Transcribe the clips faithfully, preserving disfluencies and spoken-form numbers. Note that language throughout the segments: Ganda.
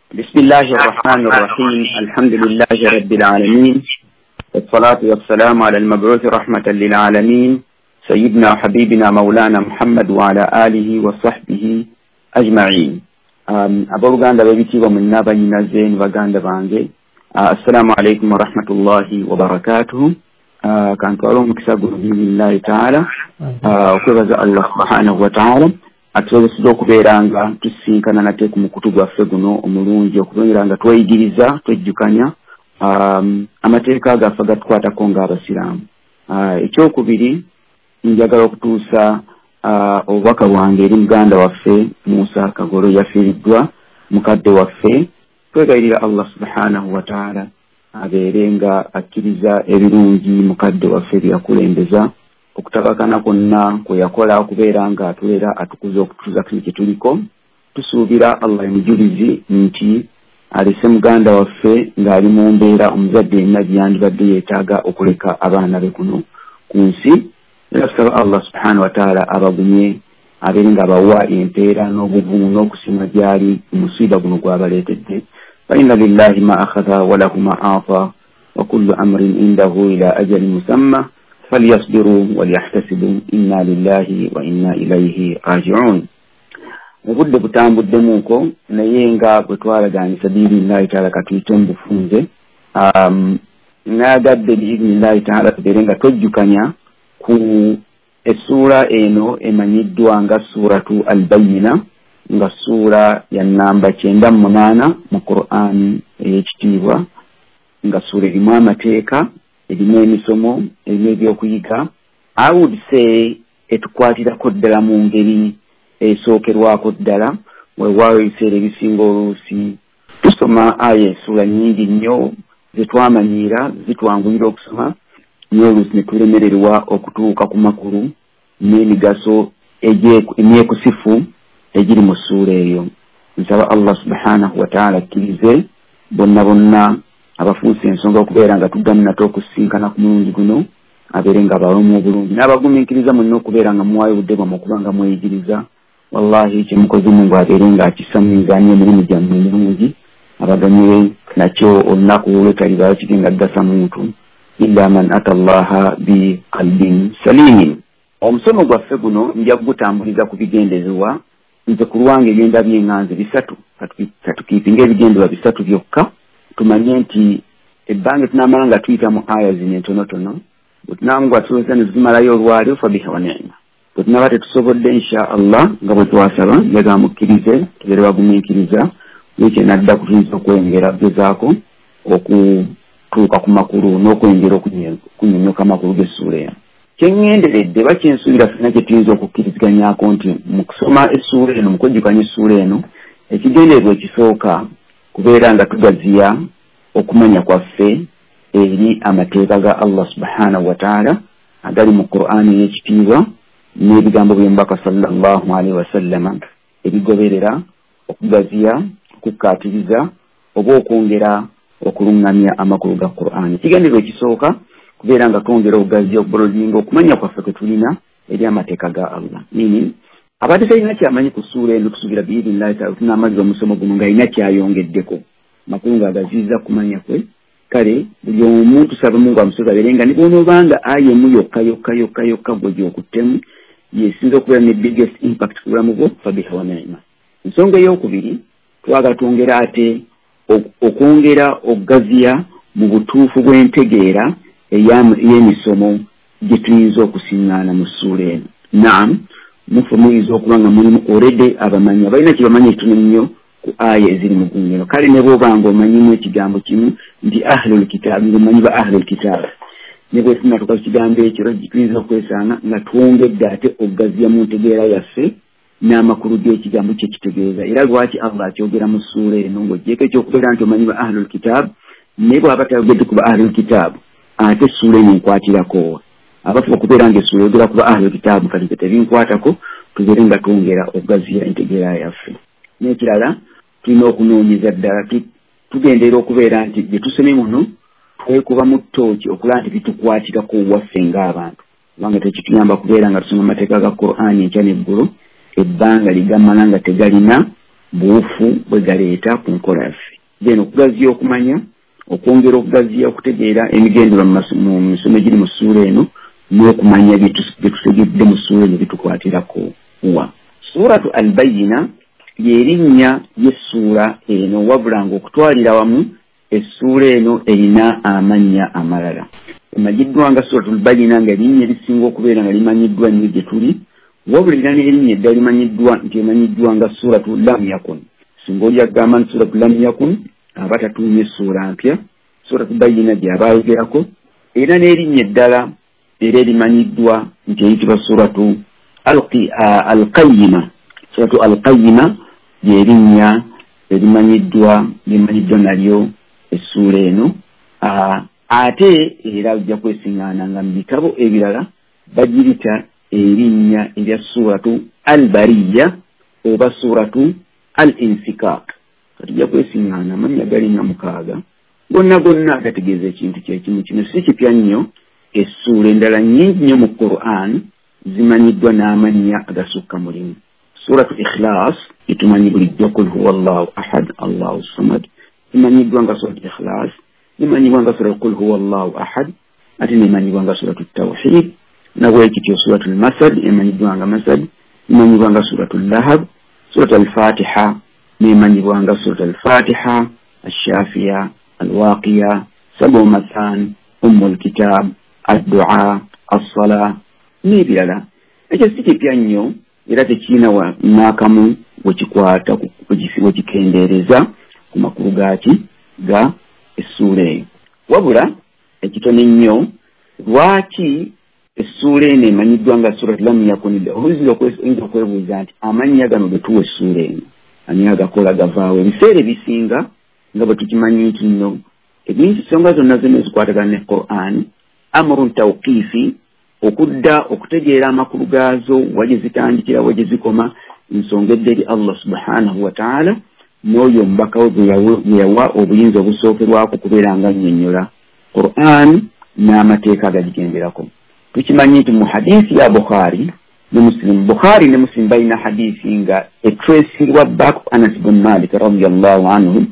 بسم الله الرحمن الرحيم. الحمد لله رب العالمين، والصلاة والسلام على المبعوث رحمة للعالمين، سيدنا حبيبنا مولانا محمد وعلى آله وصحبه أجمعين. Abooluganda b'ebitiibwa mwenna, bannyinaze ne baganda bange, assalamu alaikum warahmatullahi wabarakatuhu. Kantwala omukisa guno biidhnillahi taala okwebaza Allah subhanahu wataala atusoboseza okubeera nga tusisinkana nate ku mukutu gwaffe guno omulungi, okubeera nga tweyigiriza, twejjukanya amateeka gaffe gatukwatako ng'abasiraamu. Ekyokubiri, njagala okutuusa obubaka bwange eri muganda waffe Musa Kagolo, yafiiriddwa mukadde waffe. Twegayirira Allah subhanahu wataala abeere nga akkiriza ebirungi mukadde waffe byeyakulembeza, okutabakana kwonna kwe yakola okubeera nga atulera, atukuza okutuuza kino kye tuliko. Tusuubira Allah emujulizi nti alese muganda waffe ng'ali mu mbeera omuzadde yenna gyeyandibadde yeetaaga okuleka abaana be kuno ku nsi. Era tusaba Allah subhanahu wataala abagumye, abeere nga abawa empeera n'obuvumu n'okusiima gy'ali musiiba guno gw'abaleetedde. Fa inna lillahi ma akhadha wa lahu ma ata wa kullu amrin indahu ila ajalin musamma falyasbiru walyahtasibu inna lillahi wa inna ilayhi rajiun. Obudde butambuddemuuko, naye nga bwe twalagaanyisa biidhnillahi taala katuyite mu bufunze. Naagadde biidhnillahi taala tubeere nga twejjukanya ku essuula eno emanyiddwa nga Suratu Albayina, nga ssuula ya namba kyenda mu munaana mu Qur'an ey'ekitiibwa, nga ssuula erimu amateeka, erimu emisomo, erimu ebyokuyiga. I would say etukwatirako ddala mu ngeri esookerwako ddala. Weewaawo ebiseera ebisinga oluusi tusoma aya, essuula nnyingi nnyo zetwamanyiira, zitwanguyira okusoma, naye oluusi ne tulemererwa okutuuka ku makulu n'emigaso emyekusifu egiri mu ssuula eyo. Nsaba Allah subhanahu wataala akkirize bonna bonna abafuusa ensonga okubeera nga tuddamu nate okusisinkana ku mulundi guno, abeere nga abawamu obulungi n'abagumiikiriza mwenna okubeera nga muwaayo obudde bwammwe okuba nga mweyigiriza. Wallahi kyemukoze Mungu abeere nga akissa mu mizaani emirimu gyammwe emirungi, abaganyule nakyo olunaku lwetalibaayo kigenda kugasa muntu illa man ata Allaha bi qalbin salimin. Omusomo gwaffe guno nja kugutambuliza ku bigendererwa. Nze ku lwange ebyendabye nga nze bisatu, katukiipinga ebigendererwa bisatu byokka. Tumanye nti ebbanga tunaamala nga tuyita mu aya zino entonotono, bwe tunaaba tusobozesa ne tuzimalayo olwaleero, fabiha wa ni'ma. Bwe tunaaba tetusobodde, insha Allah nga bwe twasaba, njagala mukkirize tubeere bagumiikiriza, wiiki enadda kutuyinza okwengera gezaako okutuuka ku makulu n'okwengera okunyonyoka amakulu g'essuula eno. Kyeŋŋenderedde ba kyensuubira ffenna kye tuyinza okukkiriziganyako nti mu kusoma essuula eno, mu kwejjukanya essuula eno, ekigendererwa ekisooka kubeera nga tugaziya okumanya kwaffe eri amateeka ga Allah subhanahu wataala agali mu Qur'ani ey'ekitiibwa n'ebigambo by'omubaka sallallahu alaihi wasallama ebigoberera okugaziya, okukkaatiriza oba okwongera okuluŋŋamya amakulu ga Qur'ani. Ekigendererwa ekisooka kubeera nga twongera okugaziya, okubolozinga okumanya kwaffe kwe tulina eri amateeka ga Allah. Meaning abadde talina kyamanyi ku ssuula eno, tusuubira biidhnillahi taala tunaamaliza omusomo guno ng'alina kyayongeddeko makulu ng'agaziyiza kumanya kwe. Kale buli omu tusaba Mungu amusoza abeere nga ne bw'onoobanga aya emu yokka yokka yokka yokka gwe gy'okuttemu yesinza okubeera ne biggest impact ku bulamu bwo, fabiha wa ni'ma. Ensonga ey'okubiri, twagala twongera ate okwongera okugaziya mu butuufu bw'entegeera ey'emisomo gye tuyinza okusiŋŋaana mu ssuula eno. Naam, mufe muyinza okuba nga mulimu already abamanyi abalina kye bamanyi ekitono nnyo ku aya eziri mu gundi eno. Kale ne bw'oba nga omanyimu ekigambo kimu nti ahlul kitaabu, ng'omanyi ba ahlul kitaabu, ne bwe tunatuuka ku kigambo ekyo tuyinza okwesanga nga twongedde ate okugaziya mu ntegeera yaffe n'amakulu g'ekigambo kye kitegeeza, era lwaki Allah akyogera mu ssuula eno. Ng'oggyeko ekyokubeera nti omanyi ba ahlul kitaabu, naye bw'aba tayogedde ku ba ahlul kitaabu, ate essuula eno enkwatirako abafu okubeera nga essuula eyogera ku ba ahlul kitaabu, kati tebinkwatako, tubeere nga twongera okugaziya entegeera yaffe. N'ekirala, tulina okunoonyeza ddala, tugenderera okubeera nti bye tusomye muno twekuba mu ttooki okulaba nti bitukwatirako waffe ng'abantu, kubanga tekituyamba kubeera nga tusoma amateeka ga Qur'ani enkya n'eggulo ebbanga ligamala nga tegalina Buwufu bwe galeeta ku nkola yaffe. Then okugaziya okumanya, okwongera okugaziya okutegeera emigendero mu misomo egiri mu ssuula eno, n'okumanya bye tutegedde mu ssuula eno bitukwatirako wa. Suratu Albayina ly'erinnya ly'essuula eno, wabula ng'okutwalira wamu essuula eno erina amannya amalala. Emanyiddwa nga Suratu Albayina, nga erinnya erisinga okubeera nga limanyiddwa nnyo gye tuli, wabula erina n'erinnya eddala limanyiddwa nti emanyiddwa nga Suratu Lam Yakun. Singa oli agamba nti Suratu Lam Yakun, aba tatuumye essuula mpya, Suratu Bayina gy'aba ayogerako. Era n'erinnya eddala era erimanyiddwa nti eyitibwa Suratu Alqayima. Suratu Alqayima ly'erinnya erimanyiddwa limanyiddwa nalyo essuula eno. Ate era ojja kwesiŋŋaana nga mu bitabo ebirala bagirita erinnya erya Suratu Albariya oba Suratu Al-Infikak. Kati ojja kwesiŋŋaana amannya galinga mukaaga, gonna gonna gategeeza ekintu kyekimu. Kino si kipya nnyo, essuula endala nnyingi nnyo mu Quran zimanyiddwa n'amannya agasukka mu limu. Suratu Ikhlas etumanyi bulijjo, Qul huwa Allahu ahad Allahu samad, imanyiddwa nga Suratu Ikhlas, imanyibwa nga Suratu Qul huwa Allahu ahad, ate nemanyibwa nga Suratu Tawhid. Nabwekityo Suratu Masad emanyiddwa nga Masad, imanyibwa nga Suratu Lahab. Suratu Al-Fatiha nemanyibwa nga Suratu Al-Fatiha, Ash-Shafiya, Al-Waqiya, Sabu Mathan, Ummul Kitab, Ad-Du'a, As-Sala n'ebirala. Ekyo si kipya nnyo era tekirina n'akamu wekikwata wekikendeereza ku makulu gaaki ga essuula eyo. Wabula ekitono ennyo, lwaki essuula eno emanyiddwa nga Suratu Lam Yakun? Oyinza okwebuuza nti amannya gano ge tuwa essuula eno ani agakola gavaawo? Ebiseera ebisinga nga bwe tukimanyi nti nno ebintu ensonga zonna zonna ezikwatagana ne Quran amrun tawqifi, okudda okutegeera amakulu gaazo, wa gye zitandikira, wa gye zikoma, nsonga edda eri Allah subhanahu wa ta'ala n'oyo omubaka we gwe yawa obuyinza obusookerwako okubeera nga nnyonnyola Quran n'amateeka agagigenderako. Tukimanyi nti mu hadiisi ya Bukhari ne Muslim, Bukhari ne Muslim balina hadiisi nga etracingibwa back Anas ibn Malik radiyallahu anhu,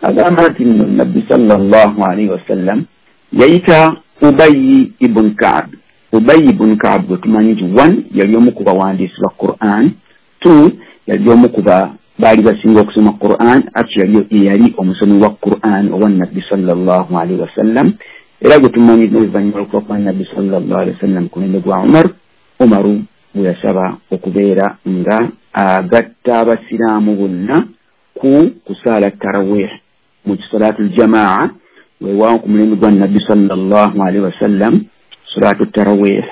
agamba nti nno Nabbi sallallahu alaihi wasallam yayita Ubayy ibn Ka'b. Ubayy ibn Ka'b gwe tumanyi nti one, yali omu ku bawandiisi ba Quran, two, yali omu ku baali basinga okusoma Quran, actually yali omusomi wa Quran owa Nabbi sallallahu alaihi wasallam. Era gwe tumanyi n'oluvannyuma lw'okufa kwa Nabbi sallallahu alaihi wasallam ku mulembe gwa Umar, Umaru bwe yasaba okubeera nga agatta abasiraamu bonna ku kusaala tarawih mu salaatul jamaa. Weewaawo ku mulembe gwa Nabbi sallallahu alaihi wasallam salatu tarawih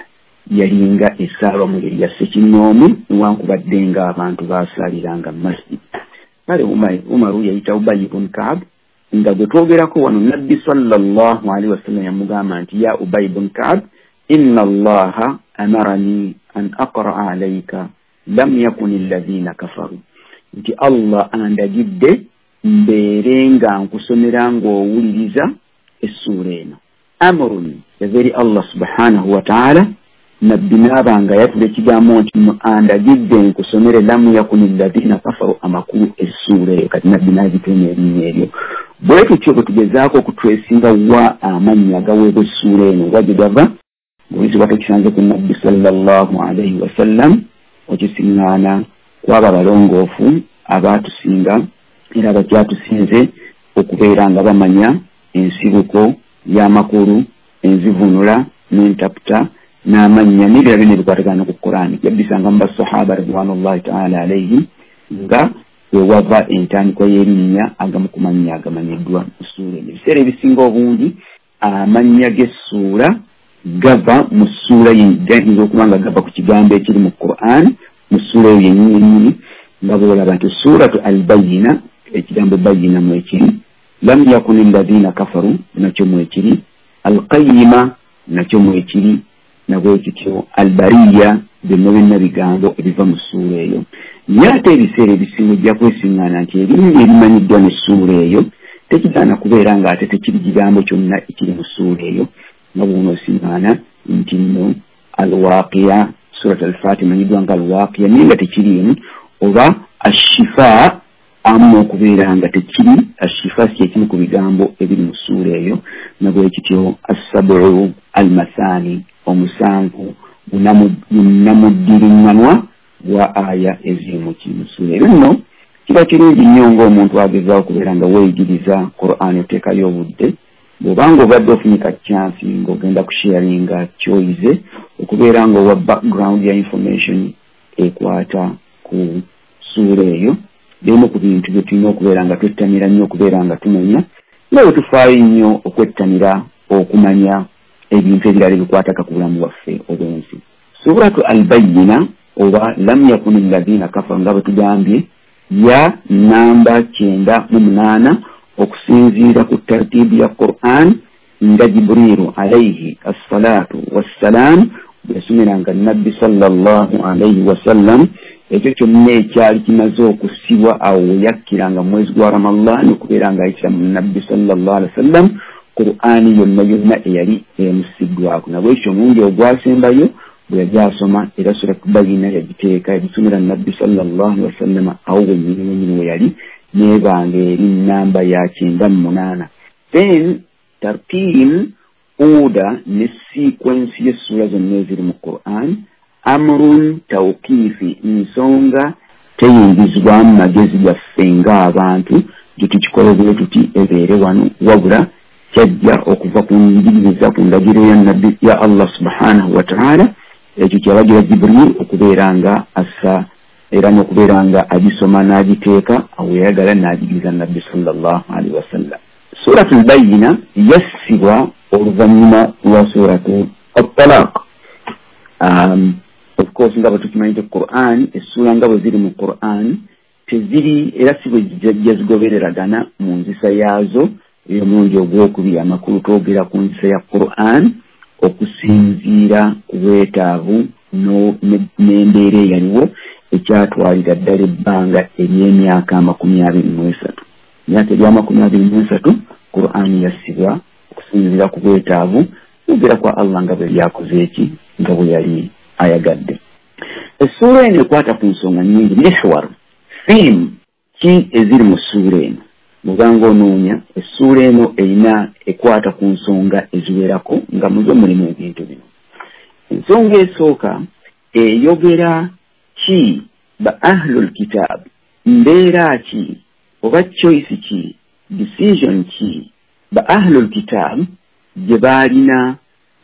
yalinga esaalwa mu ngeri ya ssekinnoomu, newankubadde ng'abantu baasaaliranga mu masjid. Kale Umaru yayita Ubayy ibn Ka'b, nga gwe twogerako wano Nabbi sallallahu alaihi wasallam yamugamba nti ya Ubayy ibn Ka'b, inna Allaha amarani an aqra'a alayka lam yakuni alladhina kafaru, nti Allah andagidde mbeere nga nkusomera ng'owuliriza essuula eno. Amrun yava eri Allah subhanahu wa ta'ala, Nabbi n'aba nga yatula ekigambo nti andagidde nkusomere lam yakuni alladhina kafaru, amakulu essuula eyo. Kati Nabbi n'agituuma erinnya eryo. Bwe tutyo bwe tugezaako okutwesinga wa amannya agaweebwa essuula eno wa gye gava, ng'oyinza tokisanze ku Nabbi sallallahu alaihi wasallam, okisiŋŋaana kw'abo abalongoofu abaatusinga era abakyatusinze okubeera nga bamanya ensibuko y'amakulu, enzivuunula n'entaputa n'amannya n'ebirala byonna ebikwatagana ku Qur'an. Yabisanga mu basahaba ridwanullahi ta'ala alaihim nga wewava entandikwa y'erinnya agamu ku mannya agamanyiddwa mu ssuula eno. Ebiseera ebisinga obungi amannya g'essuula gava mu ssuula gayinza okuba nga gava ku kigambo ekiri mu Qur'an mu ssuula eyo yennyini yennyini, nga bw'olaba nti Suratu Albayina, ekigambo bayina mwekiri, lam yakuni alladhina kafaru nakyo mwekiri, Alqayima nakyo mwekiri, nabwekityo Albariya, byonna byonna bigambo ebiva mu ssuula eyo. Naye ate ebiseera ebisinga ojja kwesiŋŋaana nti erinnya erimanyiddwa n'essuula eyo tekigaana kubeera ng'ate tekiri kigambo kyonna ekiri mu ssuula eyo, nga bw'onoosiŋŋaana nti nno Alwaqiya, Surat Al-Fatiha emanyiddwa nga Alwaqiya naye nga tekiriimu, oba Ashifa Amu okubeera nga tekiri ashifa si ekimu ku bigambo ebiri mu ssuula eyo, nabwe kityo assabu almathani, omusanvu gunamuddiriŋŋanwa gwa aya eziri mu ssuula eyo. Nno kiba kirungi nnyo ng'omuntu agezaako okubeera nga weeyigiriza Qur'an, oteekayo obudde bw'obanga obadde ofunyika chance ng'ogenda kusharinga kyoyize, okubeera ng'owa background ya information ekwata ku ssuula eyo. Bimu ku bintu bye tulina okubeera nga twettanira nnyo okubeera nga tumanya, nga bwe tufaayo nnyo okwettanira okumanya ebintu ebirala ebikwataka ku bulamu bwaffe obw'ensi. Suratu Albayina oba lam yakuni alladhina kafaru, nga bwe tugambye, ya namba kyenda mu munaana okusinziira ku tartiibu ya Qur'an, nga Jibriiru alayhi assalatu wassalam bwe yasomeranga Nabbi sallallahu alayhi wasallam ekyo kyonna ekyali kimaze okussibwa awo we yakkiranga mu mwezi gwa Ramadhan okubeera ng'ayitira mu Nabbi sallallahu alaihi wasallam Qur'ani yonna yonna eyali emusiddwako. Nabwekyo omulundi ogwasembayo bwe yali asoma era Suratu Bayina yagiteeka yagisomera Nabbi sallallahu alaihi wasallam awo wennyini wennyini we yali, n'ebanga eri namba ya kyenda mu munaana. Then tartiib, order ne sequence y'essuula zonna eziri mu Qur'an, amrun tawqifi, nsonga teyingizibwamu magezi gaffe ng'abantu gye tukikola bwe tuti ebeere wano, wabula kyajja okuva ku njigiriza ku ndagiro ya Nabbi ya Allah subhanahu wa ta'ala. Ekyo kyalagira Jibril okubeera nga assa era n'okubeera nga agisoma n'agiteeka awo yayagala n'agigiriza Nabbi sallallahu alaihi wasallam. Suratul Bayina yassibwa oluvannyuma lwa Suratu At-Talaq. Um, of course nga bwe tukimanyi nti Qur'an, essuula nga bwe ziri mu Qur'an teziri era si bwe zijja zigobereragana mu nzisa yaazo ey'omulundi ogwokubiri. Amakulu twogera ku nzisa ya Qur'an okusinziira ku bwetaavu n'embeera eyaliwo ekyatwalira ddala ebbanga ery'emyaka amakumi abiri mu esatu. Emyaka ery'amakumi abiri mu esatu Qur'an yassibwa okusinziira ku bwetaavu kwogera kwa Allah nga bwe yakoze eki nga bwe yali ayagadde. Essuula eno ekwata ku nsonga nnyingi, mihwar, theme ki eziri mu ssuula eno. Bw'obanga onoonya essuula eno erina ekwata ku nsonga eziwerako nga muzo mulimu ebintu bino. Ensonga esooka eyogera ki ba ahlul kitab, mbeera ki oba choice ki, decision ki ba ahlul kitab gye baalina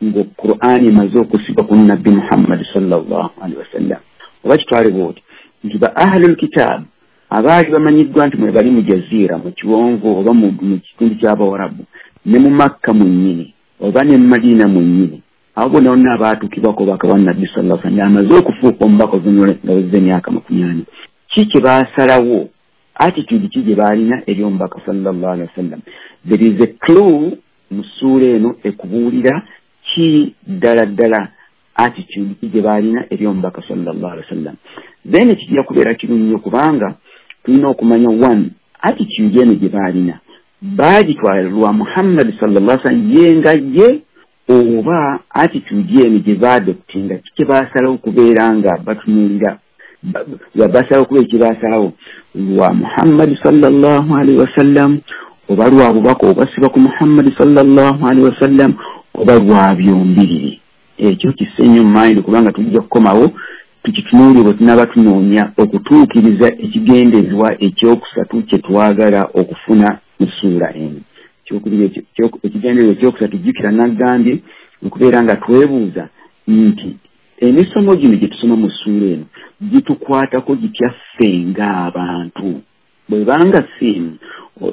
nga Qur'an emaze okussibwa ku Nabbi Muhammad sallallahu alaihi wasallam. Oba kitwale bw'oti nti ba ahlul kitab abaali bamanyiddwa nti mwe bali mu jaziira, mu kiwonvu oba mu kitundu ky'Abawarabu, ne mu Makka mwennyini oba ne mu Madiina mwennyini, abo bonna bonna abaatuukibwako obubaka bwa Nabbi sallallahu alaihi wasallam amaze okufuuka omubaka oluvannyuma nga wezze emyaka makumi ana, ki kye baasalawo, attitude ki gye baalina eri omubaka sallallahu alaihi wasallam. There is a clue mu ssuula eno ekubuulira ki ddala ddala attitude ki gye baalina eri omubaka sallallahu alaihi wasallam. Then kijja kubeera kirungi nnyo kubanga tulina okumanya one, attitude eno gye baalina baagitwala lwa Muhammad sallallahu alaihi wasallam ye nga ye, oba attitude eno gye baadoptinga ki kye baasalawo okubeera nga batunuulira, basalawo okubeera kye baasalawo lwa Muhammad sallallahu alaihi wasallam, oba lwa bubaka obwasibwa ku Muhammad sallallahu alaihi wasallam, oba lwa byombiriri. Ekyo kisse nnyo mu mind kubanga tujja kukomawo tukitunuulire bwe tunaaba tunoonya okutuukiriza ekigendererwa ekyokusatu kye twagala okufuna mu ssuula eno. Ekigendererwa ekyokusatu jjukira nagambye okubeera nga twebuuza nti emisomo gino gye tusoma mu ssuula eno gitukwatako gitya ffe ng'abantu. Bw'ebanga theme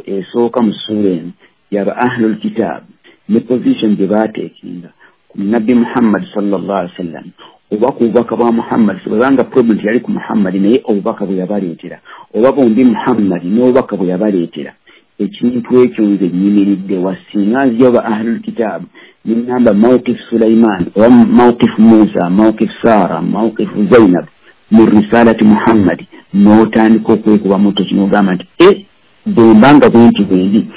esooka mu ssuula eno yaba ahlul kitab ne position gye baateekinga ku Nabbi Muhammad sallallahu alaihi wasallam oba ku bubaka bwa Muhammad. Bwebanga problem yali ku Muhammad naye obubaka bwe yabaleetera, oba bombi Muhammad n'obubaka bwe yabaleetera, ekintu ekyo nze nnyimiridde wa singa nzija oba ahlul kitab nengamba mawqif Sulaiman oba mawqif Musa, mawqif Sara, mawqif Zainab mu risalati Muhammad, n'otandika okwekuba muto kino ogamba nti e bwe mbanga bwe nti bwe ndi,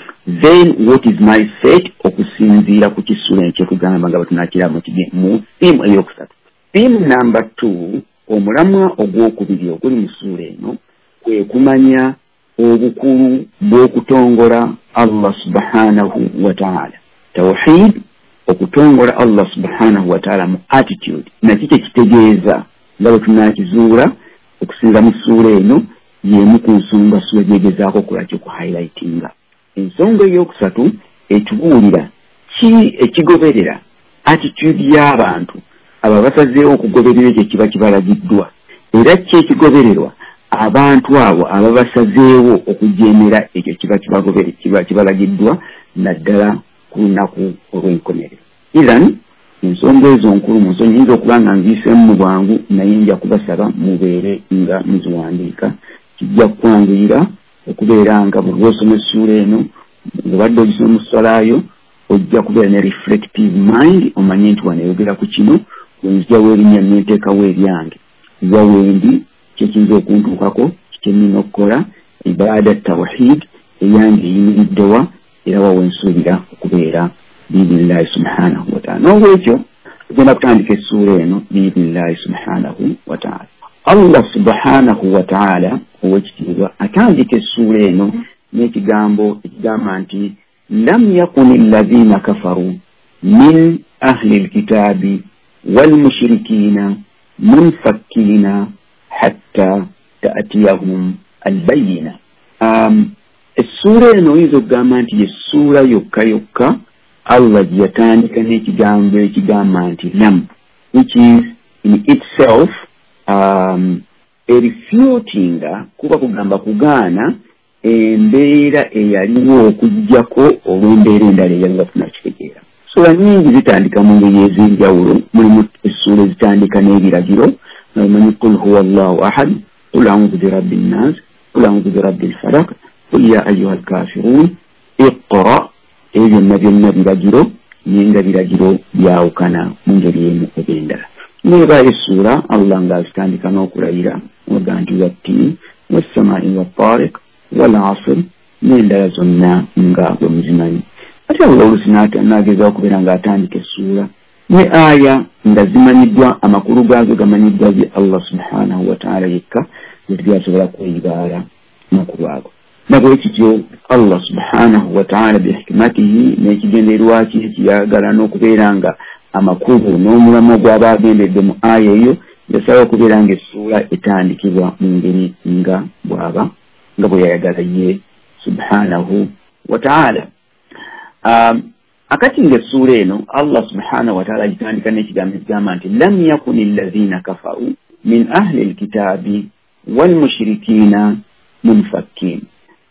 then what is my fate okusinziira ku kissuula eno kyetugamba nga bwe tunaakiraba mu theme eyokusatu. Theme number two, omulamwa ogwokubiri oguli mu ssuula eno kwe kumanya obukulu bw'okutongola Allah subhanahu wa ta'ala. Tawhid, okutongola Allah subhanahu wa ta'ala mu attitude, nakyo kyekitegeeza nga bwe tunaakizuula okusinza mu ssuula eno y'emu ku nsonga ssuula gyegezaako okukola ki okuhighlightinga. Ensonga ey'okusatu etubuulira ki ekigoberera attitude y'abantu abo abasazeewo okugoberera ekyo ekiba kibalagiddwa, era ki ekigobererwa abantu abo ababasazeewo okujeemera ekyo kiba kiba kibalagiddwa naddala ku lunaku olw'enkomerero. Ithan ensonga ezo nkulu mu nsonyi nyinza okuba nga nziyiseemu mu bwangu, naye nja kubasaba mubeere nga muziwandiika. Kijja kukwanguyira okubeera nga buli lw'osoma essuula eno ng'obadde ogisoma mu ssalaayo ojja kubeera ne reflective mind, omanye nti wano eyogera ku kino, wenzija w'erinnya nenteekawo eryange, wa wendi kyekiyinza okuntuukako, kye nnina okukola, ibaada tawhid eyange eyimiriddewa, era wa wensuubira okubeera biidhnillahi subhanahu wa ta'ala. N'olwekyo tugenda kutandika essuula eno biidhnillahi subhanahu wa ta'ala. Allah subhanahu wa ta'ala ow'ekitiibwa atandika essuula eno n'ekigambo ekigamba nti lam yakuni alladhina kafaru min ahli lkitaabi walmushrikiina munfakkiina hatta ta'tiyahum albayina. Um, essuula eno oyinza okugamba nti yessuula yokka yokka Allah gye yatandika n'ekigambo ekigamba nti lam, which is in itself um, erefutinga, kuba kugamba kugaana embeera eyaliwo okuggyako olw'embeera endala eyaliwo tunakitegeera. Ssuula nnyingi zitandika mu ngeri ez'enjawulo. Mulimu essuula ezitandika n'ebiragiro, omanyi qul huwa allahu ahad, qul a'udhu birabbi nnas, qul a'udhu birabbi lfalaq, qul ya ayuha alkafirun, iqra. Ebyo byonna byonna biragiro, naye nga biragiro byawukana mu ngeri emu oba endala. Neebaayo essuula Allah ng'azitandika n'okulayira, oga nti wattiini wassamaai wattariq wal asr, n'endala zonna nga bwe muzimanyi. Ate Allah oluusi n'agezaako okubeera ng'atandika essuula ne aya nga zimanyiddwa, amakulu gaazo gamanyiddwa ye Allah subhanahu wa ta'ala yekka, tetubyasobola kweyibaala makulu ago. Nabwe kityo Allah subhanahu wa ta'ala bihikmatihi n'ekigendererwa kye ekiyagala n'okubeera nga amakulu n'omulamwa gw'aba agendedde mu aya eyo, yasaba okubeera nga essuula etandikibwa mu ngeri nga bw'aba nga bwe yayagala ye subhanahu wa ta'ala. Um, akati ng'essuula eno Allah subhanahu wa ta'ala agitandika n'ekigambo ekigamba nti lam yakuni alladhina kafaru min ahli lkitaabi walmushrikiina munfakkiin,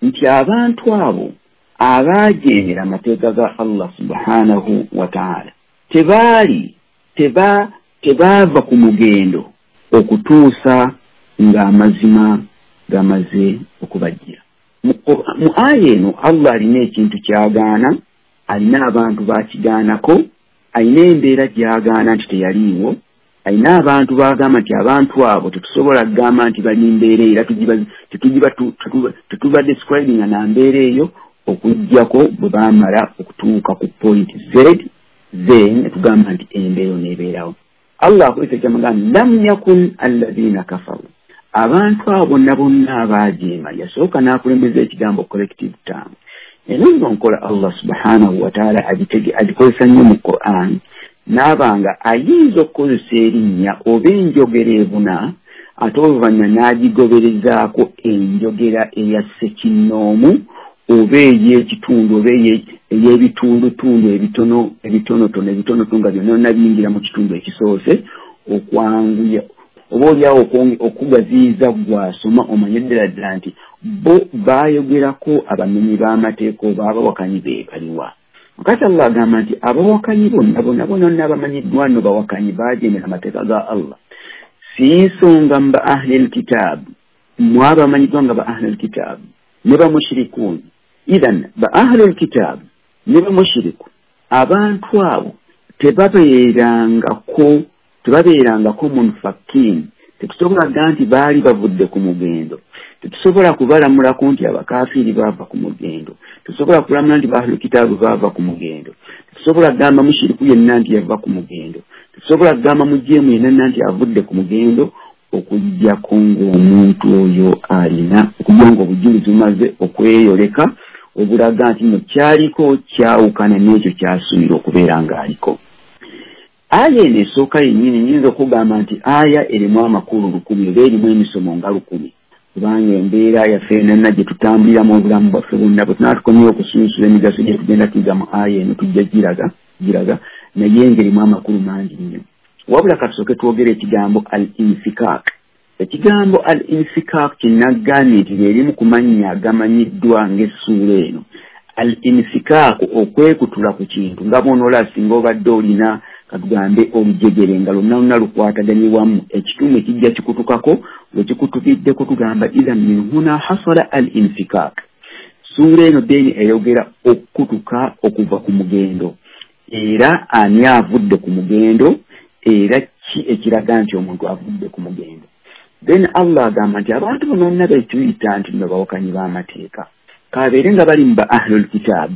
nti abantu abo abaajeemera amateeka ga Allah subhanahu wa ta'ala tebaali teba tebaava ku mugendo okutuusa ng'amazima gamaze okubajjira. Mu aya eno Allah alina ekintu ky'agaana, alina abantu bakigaanako, alina embeera gy'agaana nti teyaliiwo, alina abantu bagamba nti abantu abo tetusobola kugamba nti bali mbeera era tetuba describinga na mbeera eyo okuggyako bwe baamala okutuuka ku point Z, then tugamba nti embeera oneebeerawo. Allah akozesa ekyamagamba lam yakun alladhina kafaru, abantu abo bonna bonna abaajeema. Yasooka n'akulembeza ekigambo collective term. Eno nno nkola Allah subhanahu wa ta'ala agikozesa nnyo mu Quran, n'abanga ayinza okukozesa erinnya oba enjogera ebuna, ate oluvannyuma n'agigoberezaako enjogera eya ssekinnoomu oba ey'ekitundu oba ey'ebitundutundu ebitono ebitonotono ebitonotono nga byonna byonna biyingira mu kitundu ekisoose, okwanguya oba oliawo okugaziyiza gw'asoma omanye ddala ddala nti bo baayogerako abamenyi b'amateeka oba abawakanyi be baliwa. Kati Allah agamba nti abawakanyi bonna bonna bonna abamanyiddwa nno bawakanyi baajeemera amateeka ga Allah, si nsonga mu ba ahli lkitaabu, mmwe abamanyiddwa nga ba ahli lkitaabu ne bamushirikuun. Ithan ba ahli lkitaabu ne bamushiriku, abantu abo tebabeerangako tebabeerangako munfakkiin, tetusobola kugamba nti baali bavudde ku mugendo, tetusobola kubalamulako nti abakafiiri baava ku mugendo, tetusobola kulamula nti ba ahli kitaabu baava ku mugendo, tetusobola kugamba mushiriku yenna nti yava ku mugendo, tetusobola kugamba mujeemu yenna nti avudde ku mugendo, Okuggyako ng'omuntu oyo alina okujja ng'obujulizi bumaze okweyoleka obulaga nti nno kyaliko kyawukana n'ekyo kyasuubira okubeera ng'aliko. Aya eno esooka yennyini nnyinza okugamba nti aya erimu amakulu lukumi oba erimu emisomo nga lukumi, kubanga embeera yaffe yonna gye tutambuliramu obulamu bwaffe bwonna bwe tunaba tukomyewo okusunsula emigaso gye tugenda tuyiga mu aya eno tujja giraga giraga naye ng'erimu amakulu mangi nnyo. Wabula katusooke twogere ekigambo al infikak. Ekigambo al infikak kinagambye nti lyerimu ku mannya agamanyiddwa ng'essuula eno. Al infikak, okwekutula ku kintu, nga bw'onoola singa obadde olina katugambe olujegere nga lwonna lwonna lukwataganye wamu, ekitundu ekijja kikutukako we kikutukiddeko tugamba idhan min huna hasala al infikak. Ssuula eno then eyogera okukutuka okuva ku mugendo, era ani avudde ku mugendo, era ki ekiraga nti omuntu avudde ku mugendo. Then Allah agamba nti abantu bonna betuyita nti nno bawakanyi b'amateeka, kabeere nga bali mu ba ahlul kitaab,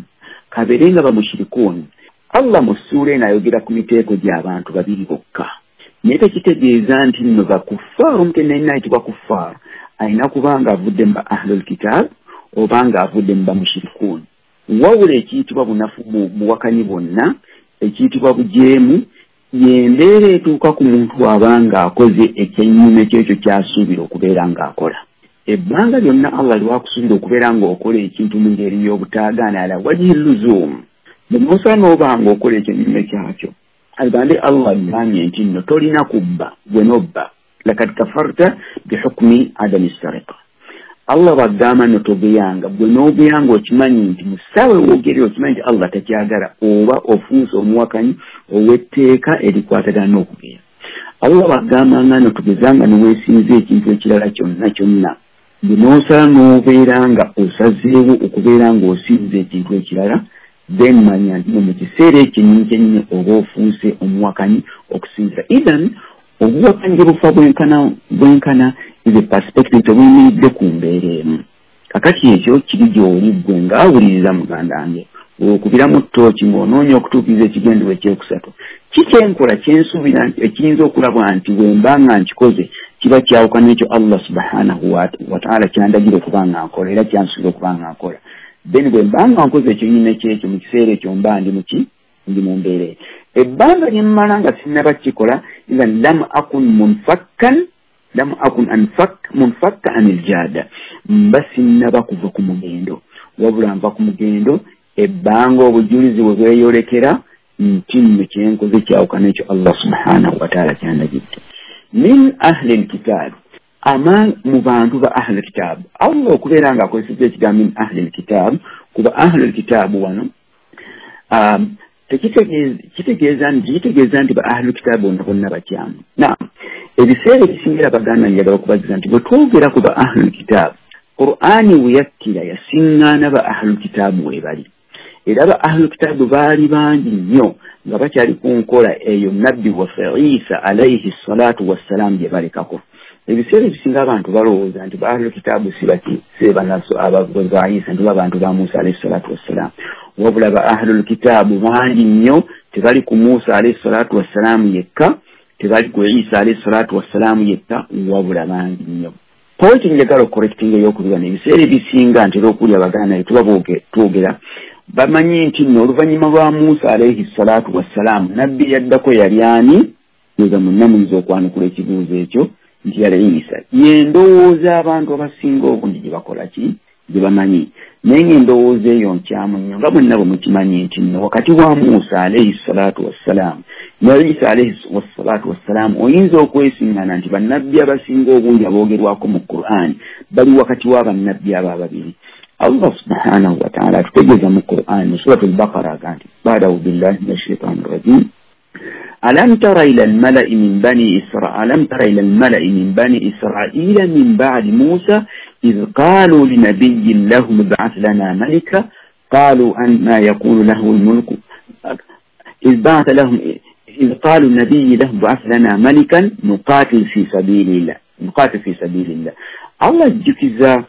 kabeere nga bamushirikuun. Allah mu ssuula eno ayogera ku miteeko gy'abantu babiri bokka, naye tekitegeeza nti nno bakuffaaru. Omuntu yenna ayitibwa kuffaaru alina kuba nga avudde mu ba ahlul kitaab oba nga avudde mu bamushirikuun. Wabula ekiyitibwa bunafu buwakanyi bwonna, ekiyitibwa bujeemu, y'embeera etuuka ku muntu aba akoze ekyennyume kyekyo ky'asuubira okubeera ng'akola. Ebbanga lyonna Allah lwakusuubira okubeera ng'okola ekintu mu ngeri y'obutaagaana ala wajhi luzuum, bw'onoosala n'oba ng'okola ekyennyume kyakyo, agambe Allah agambye nti nno tolina kubba, gwe n'obba, lakad kafarta bihukmi adami sariqa. Allah bw'agamba nno togeyanga, gwe n'ogeyanga okimanyi nti mu ssaawa w'ogerera okimanyi nti Allah takyagala, oba ofuuse omuwakanyi ow'etteeka erikwatagana n'okugeya. Allah bw'agamba nga nno tugezanga ne weesinza ekintu ekirala kyonna kyonna, gwe n'osala n'obeera nga osazeewo okubeera ng'osinza ekintu ekirala, then manya nti mu kiseera ekyennyini kyennyini oba ofuuse omuwakanyi okusinzira. Idhan obuwakanyi gye bufa bwenkana bwenkana is a perspective tebuyimiridde ku mbeera emu. Kakati ekyo kiri gy'oli ggwe ng'awuliriza muganda wange, okubiramu ttooki ng'onoonya okutuukiriza ekigendererwa ekyokusatu. Ki kyenkola kyensuubira nti ekiyinza okulabwa nti bwe mba nga nkikoze kiba kyawukana ekyo Allah subhanahu wa ta'ala kyandagira okuba nga nkola era kyansuubira okuba nga nkola. Then bwe mba nga nkoze ekyennyini kyekyo mu kiseera ekyo mba ndi muki ndi mu mbeera eyo. Ebbanga lye mmala nga sinnaba kukikola, idhan lam akun munfakkan lam akun anfak munfakka anil jada, mba sinnaba kuva ku mugendo, wabula nva ku mugendo ebbanga obujulizi bwe bweyolekera nti nno kyenkoze kyawukana ekyo Allah subhanahu wa ta'ala kyandagidde. Min ahli lkitaab, ama mu bantu ba ahli lkitaab. Allah okubeera nga akozesezza ekigambo min ahli lkitaab kuba ahli lkitaabu wano um, kitegeeza nti kitegeeza nti ba ahli lkitaabu bonna bonna bakyamu. Naam, ebiseera ebisingira baganda njagala okubagiza nti bwe twogera ku ba ahli lkitaabu, Qur'ani we yakkira yasiŋŋaana ba ahli lkitaabu we bali, era ba ahli lkitaabu baali bangi nnyo nga bakyali ku nkola eyo nabbi waffe Isa alaihi salatu wassalaamu gye balekako. Ebiseera ebisinga abantu balowooza nti ba ahli lkitaabu si baki si banaso abagozi ba Isa nti abantu ba Musa alaihi salatu wassalaamu, wabula ba ahli lkitaabu bangi nnyo, tebali ku Musa alaihi salatu wassalaamu yekka, tebali ku Isa alaihi salatu wassalaamu yekka, wabula bangi nnyo. Pointi njagala okukorectinga ey'okubiri wano, ebiseera ebisinga ntera okuwulira baganda tuba twogera bamanyi nti nno oluvannyuma lwa Musa alaihi salatu wassalaamu nabbi yaddako yali ani? Ndowooza mwenna muyinza okwanukula ekibuuzo ekyo nti yali Isa. Ye ndowooza abantu abasinga obungi gye bakola ki gye bamanyi, naye ng'endowooza eyo nkyamu nnyo nga mwenna bwe mukimanyi nti nno wakati wa Musa alaihi salatu wassalaamu ne Isa alaihi salatu wassalaamu oyinza okwesiŋŋana nti bannabbi abasinga obungi aboogerwako mu Qur'an bali wakati wa bannabbi abo ababiri. Allah subhanahu wa ta'ala atutegeeza mu Qur'an mu Surat al-Baqara aga nti ba'da billahi minash shaitani rajim ألم تر إلى الملأ من بني إسرائيل ألم تر إلى الملأ من بني إسرائيل من بعد موسى إذ قالوا لنبي لهم ابعث لنا ملكا قالوا أن ما يقول له الملك إذ بعث لهم إذ قالوا النبي لهم ابعث لنا ملكا نقاتل في سبيل الله نقاتل في سبيل الله. الله ajjukiza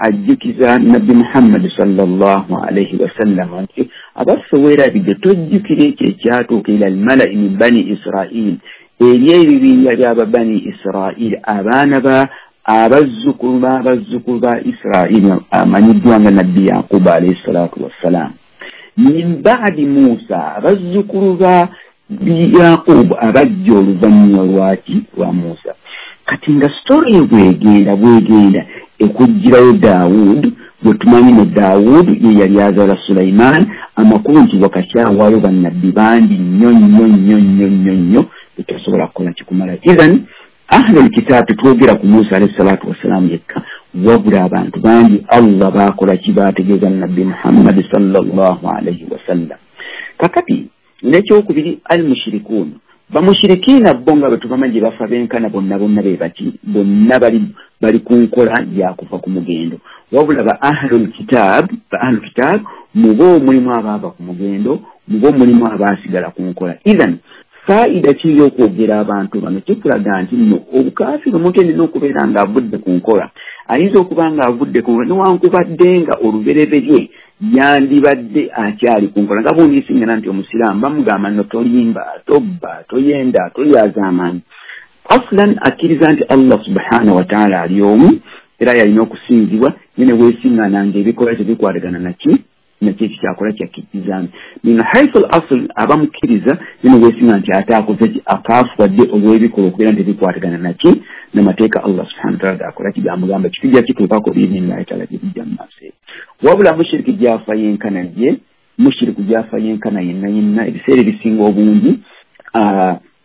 ajjukiza Nabbi Muhammad sallallahu alayhi wasallam nti abaffe weerabidde tojjukira ekyo ekyatuuka ila almalai min bani Israil, eri ebibinja by'ababani Israili, abaana ba abazzukulu b'abazzukulu ba Israili amanyiddwa nga Nabbi Yakubu alayhi salatu wassalam. Min ba'di Musa, abazzukulu ba Yakubu abajja oluvannyuma lwaki lwa Musa. Kati nga story bwegenda bwegenda ekugirayo Daawud, bwe tumanyi ne Daawud ye yali azaala Sulaiman, amakulu nti wakati awo waliwo bannabbi bangi nnyo nnyo nnyo nnyo nnyo nnyo betasobola kukola kikumala. Ithan ahlul kitabu twogera ku Musa alayhi salatu wassalam yekka, wabula abantu bangi Allah baakola ki baategeeza Nabbi Muhammad sallallahu alayhi wasallam. Kakati n'ekyokubiri al-mushrikuun, bamushirikiina bo nga bwe tubamanyi gye bafa benkana bonna bonna be baki bonna bali bali ku nkola yakuva ku mugendo. Wabula ba ahlul kitab, ba ahlul kitab mubo mulimu abaava ku mugendo, mubo mulimu abaasigala ku nkola. Ithan faida ki y'okwogera abantu bano kikulaga nti nno obukafiri omuntu yenna okubeera ng'avudde ku nkola ayinza okuba ng'avudde ku nkola newankubadde nga olubereberye yandibadde akyali ku nkola, nga bw'oniisingana nti omusiraamu bamugamba nno tolimba, tobba, toyenda, tolyazaamaanyi. Aslan akkiriza nti Allah subhanahu wa ta'ala ali omu era yalina okusinzibwa, naye ne weesiŋŋaana ng'ebikolwa tebikwatagana naki nakyo ekikyakola kyakkirizamu. Min haithu al asl abamukkiriza, naye ne weesiŋŋaana nti ate akoze ki akaafuwadde olw'ebikolwa okubeera nti tebikwatagana naki n'amateeka Allah subhanahu wa ta'ala gakola ki gamugamba kitujja kituukako biidhnillahi ta'ala gye mu maaso. Wabula mushiriki gy'afa yenkana ye, mushiriku gy'afa yenkana yenna yenna ebiseera ebisinga obungi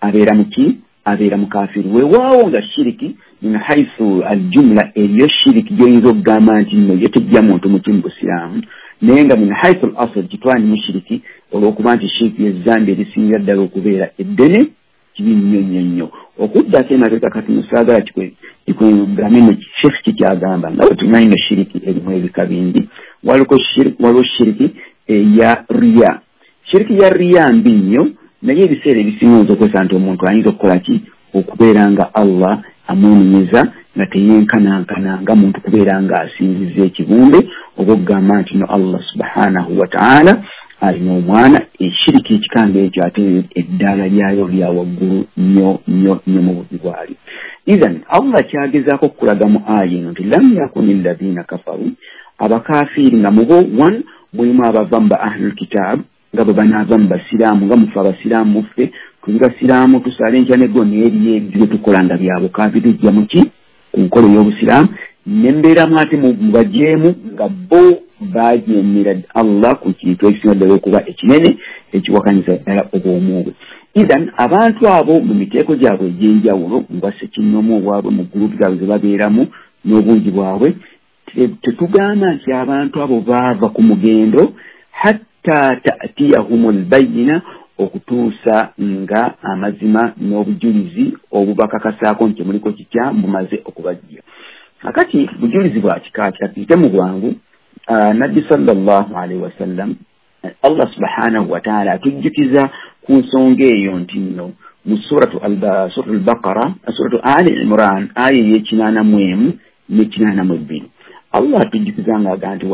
abeera muki abeera mukafiiri. Weewaawo nga shiriki min haithu aljumla eriyo shiriki gy'oyinza okugamba nti nno ye tejja muntu muki mu busiraamu, naye nga min haithu al asl kitwala mushiriki olw'okuba nti shiriki y'ezzambi erisingira ddala okubeera eddene kibi nnyo nnyo nnyo. Okuddako emabega kati musaagala kikugambe nno sheikh kikyagamba nga bwe tumanyi nno shiriki erimu ebika bingi. Waliwo shiriki eya riya. Shiriki ya riya mbi nnyo, naye ebiseera ebisinga oyinza okwesa nti omuntu ayinza okukola ki okubeera nga Allah amwenenyeza nga teyenkanankana nga muntu kubeera nga asinzizza ekibumbe oba okugamba nti no Allah subhanahu wa ta'ala alina omwana. Ekiriki ekikanga ekyo ate eddaala lyayo lya waggulu nnyo nnyo nnyo mu bubi bwalyo. Ithan Allah kyagezaako okukulaga mu aya eno nti lam yakuni alladhina kafaru, abakafiiri nga mubo one mulimu abava mu ba ahlul kitab nga bwe banaava mu basiraamu, nga mufe abasiraamu muffe tuli basiraamu tusaala enkya neggo n'eriyo ebyo bye tukola nga bya bukaafiri tujja muki ku nkola ey'obusiraamu, nembeeramu ate mubajeemu nga bo bajeemera Allah ku kintu ekisinga ddala okuba ekinene ekiwakanyiza ddala obwomu bwe. Ithan abantu abo mu miteeko gyabwe egy'enjawulo nga ssekinnoomu obwabwe mu gurupu zaabwe ze babeeramu n'obungi bwabwe, tetugamba nti abantu abo baava ku mugendo hatta ta'tiyahumul bayyina, okutuusa nga amazima n'obujulizi obubakakasaako nti muliko kikya bumaze okubajja. Kakati bujulizi bwa kika ki mu bwangu, Nabbi sallallahu alaihi wasallam Allah subhanahu wa ta'ala atujjukiza ku nsonga eyo nti nno mu suratu al-Baqara, suratu Ali Imran aya ey'ekinaana mu emu n'ekinaana mu ebbiri, Allah atujjukiza ng'agamba nti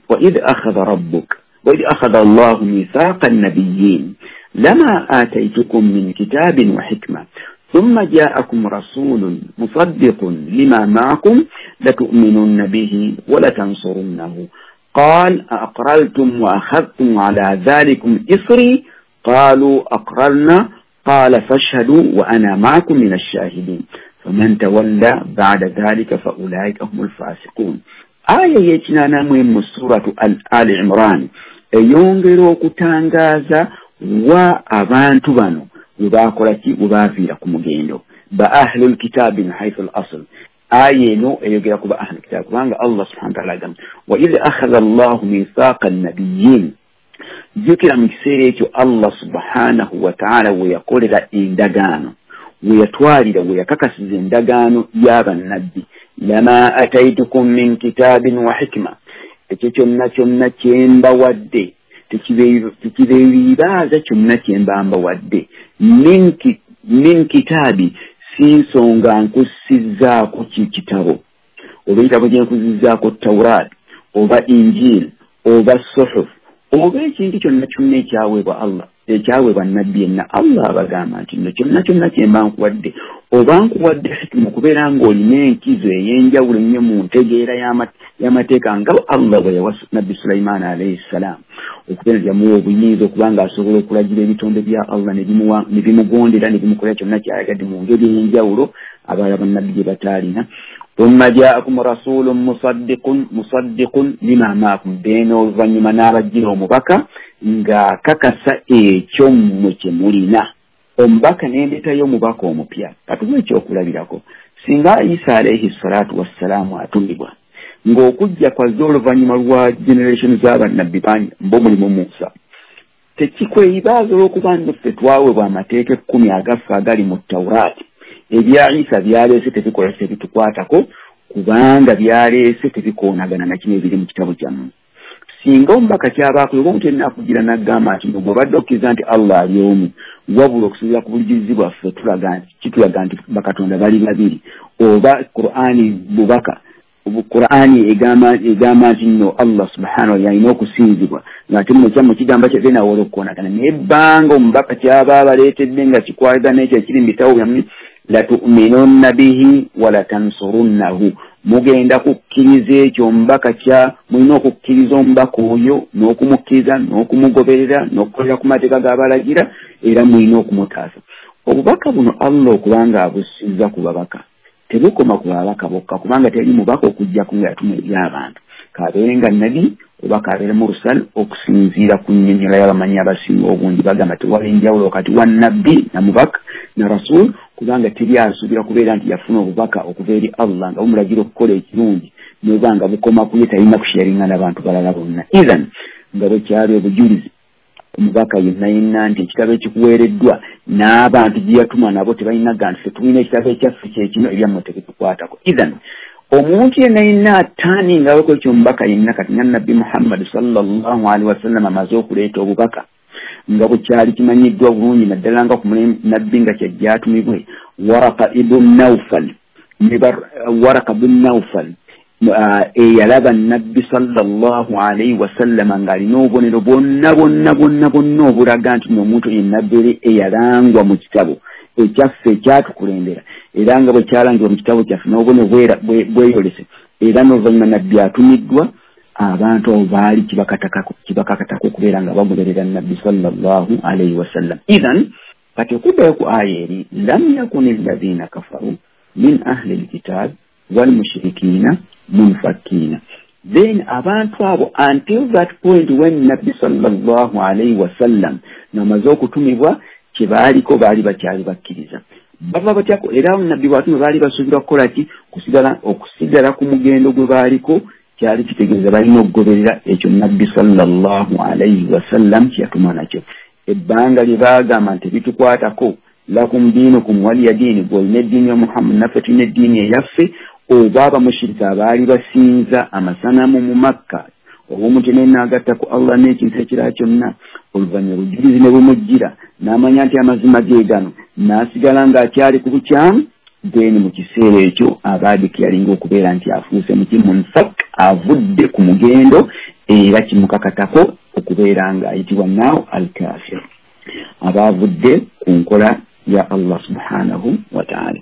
wa idh akhadha rabbuka wa idh akhadha Allahu mithaqa an-nabiyyin lama ataytukum min kitabin wa hikma thumma ja'akum rasulun musaddiqun lima ma'akum latu'minunna bihi wa latansurunnahu قال أقررتم وأخذتم على ذلكم إصري قالوا أقررنا قال فاشهدوا وأنا معكم من الشاهدين فمن تولى بعد ذلك فأولئك هم الفاسقون. آية يتنانا مهم سورة آل عمران eyongera okutangaza wa abantu bano webakola ki webaviira ku mugendo ba ahlul kitabi min haythu al-asl. Aya eno eyogera ku ba ahlul kitabi kubanga Allah subhanahu wa ta'ala agamba wa idh akhadha Allahu mithaqa an-nabiyyin, jjukira mu kiseera ekyo Allah subhanahu wa ta'ala we yakolera endagaano, we yatwalira, we yakakasiza endagaano y'abannabbi, lama ataitukum min kitabin wa hikma, ekyo kyonna kyonna kye mbawadde tekibeeribaaza kyonna kye mba mbawadde min kitaabi, si nsonga nkussizzaako ki kitabo oba ekitabo kye nkuzizzaako Tawraat oba Injil oba Suhuf oba ekintu kyonna kyonna ekyaweebwa Allah Ekyaweebwa nabbi yenna Allah abagamba nti nno kyonna kyonna kye mba nkuwadde oba nkuwadde hikima okubeera ng'olina enkizo ey'enjawulo ennyo mu ntegeera y'amateeka nga Allah bwe yawa nabbi Sulaimaani alayhi ssalaamu okubeera nti yamuwa obuyinza okuba ng'asobola okulagira ebitonde bya Allah ne bimugondera ne bimukolera kyonna ky'ayagadde mu ngeri ey'enjawulo abalala bannabbi gye bataalina. Thumma jaakum rasulun musaddiqun musaddiqun lima maakum, then oluvannyuma n'abajjira omubaka ng'akakasa ekyo mmwe kye mulina. Omubaka n'endeetayo omubaka omupya. Katuwe ekyokulabirako, singa Isa alayhi salatu wassalaamu atumibwa ng'okujja kwazze oluvannyuma lwa generation z'abannabbi bangi mb'omulimu Musa, tekikweyibaaza olw'okuba nno ffe twaweebwa amateeka ekkumi agaffe agali mu Tawuraati. Ebya Isa byaleese tebikola tebitukwatako kubanga byaleese tebikoonagana na kino ebiri mu kitabo kyammwe. Singa omubaka kyabaako oba omuntu yenna akugira n'agamba nti gw'obadde okkiriza nti Allah ali omu, wabula okusinziira ku bujulizi bwaffe tulaga nti kitulaga nti bakatonda bali babiri, oba Qur'ani bubaka Qur'ani egamba egamba nti nno Allah subhanahu yalina okusinzibwa ng'ate muno kyammwe kigamba kye nawe olw'okukoonagana. Naye ebbanga omubaka kyaba abaleetedde nga kikwatagana n'ekyo ekiri mu bitabo byammwe, latu'minunna bihi walatansurunnahu, mugenda kukkiriza ekyo omubaka kya mulina okukkiriza omubaka oyo n'okumukkiriza n'okumugoberera n'okukolera ku mateeka g'abalagira, era mulina okumutaasa. Obubaka buno Allah okubanga abussizza ku babaka tebukoma ku babaka bokka, kubanga teri mubaka okujjako nga yatuma eri abantu, k'abeere nga nnabi oba k'abeere mursal. Okusinziira ku nnyonnyola y'abamanyi abasinga obungi bagamba tewali njawulo wakati wa nabbi na mubaka na rasul, kubanga teri asuubira kubeera nti yafuna obubaka okuva eri Allah nga bumulagira okukola ekirungi n'oba nga bukoma ku ye, talina kusharinga n'abantu balala bonna. Ithan nga bwe kyali obujulizi omubaka yenna yenna nti ekitabo ekikuweereddwa n'abantu gye yatuma nabo tebalina ga nti ffe tulina ekitabo ekyaffe kye kino, ebyammwe tebitukwatako. Ithan omuntu yenna yenna ataaningawo ekyo omubaka yenna, kati nga nabbi Muhammad sallallahu alaihi wasallam amaze okuleeta obubaka nga bwe kyali kimanyiddwa bulungi naddala nga ku nabbi nga kyajja atumibwe, Waraka ibn Nawfal Waraka ibn Nawfal eyalaba nabbi sallallahu alaihi wasallam ng'alina obubonero bwonna bwonna bwonna bwonna obulaga nti n'omuntu ye nabbi eyalangwa mu kitabo ekyaffe ekyatukulembera, era nga bwe kyalangibwa mu kitabo kyaffe n'obubonero bweyolese, era n'oluvannyuma nabbi atumiddwa, abantu abo baali kibakakatako okubeera nga bagoberera nabbi sallallahu alaihi wasallam. Ithan kati okuddayo ku aya eri, lam yakuni alladhina kafaru min ahli lkitab walmushirikina munfakkina, then abantu abo until that point when nabbi sallallahu alaihi wasallam namaze okutumibwa kye baaliko baali bakyali bakkiriza. Bava batyako era nabbi bw'atumibwa baali basuubirwa kukola ki? Kusigala okusigala ku mugendo gwe baaliko, kyali kitegeeza balina okugoberera ekyo nabbi sallallahu alaihi wasallam kye yatuma nakyo. Ebbanga lye baagamba nti bitukwatako, lakum diinukum waliya diini, gw'olina eddiini ya Muhammad naffe tulina eddiini eyaffe, oba abamushirika abaali basinza amasanamu mu Makka, oba omuntu yenna agatta ku Allah n'ekintu ekirala kyonna, oluvannyuma obujulizi ne bumujjira n'amanya nti amazima ge gano, n'asigala ng'akyali ku bukyamu, then mu kiseera ekyo abaadiki yalinga okubeera nti afuuse muki munfak, avudde ku mugendo, era kimukakatako okubeera ng'ayitibwa naawo al-kafir, aba avudde ku nkola ya Allah subhanahu wa ta'ala.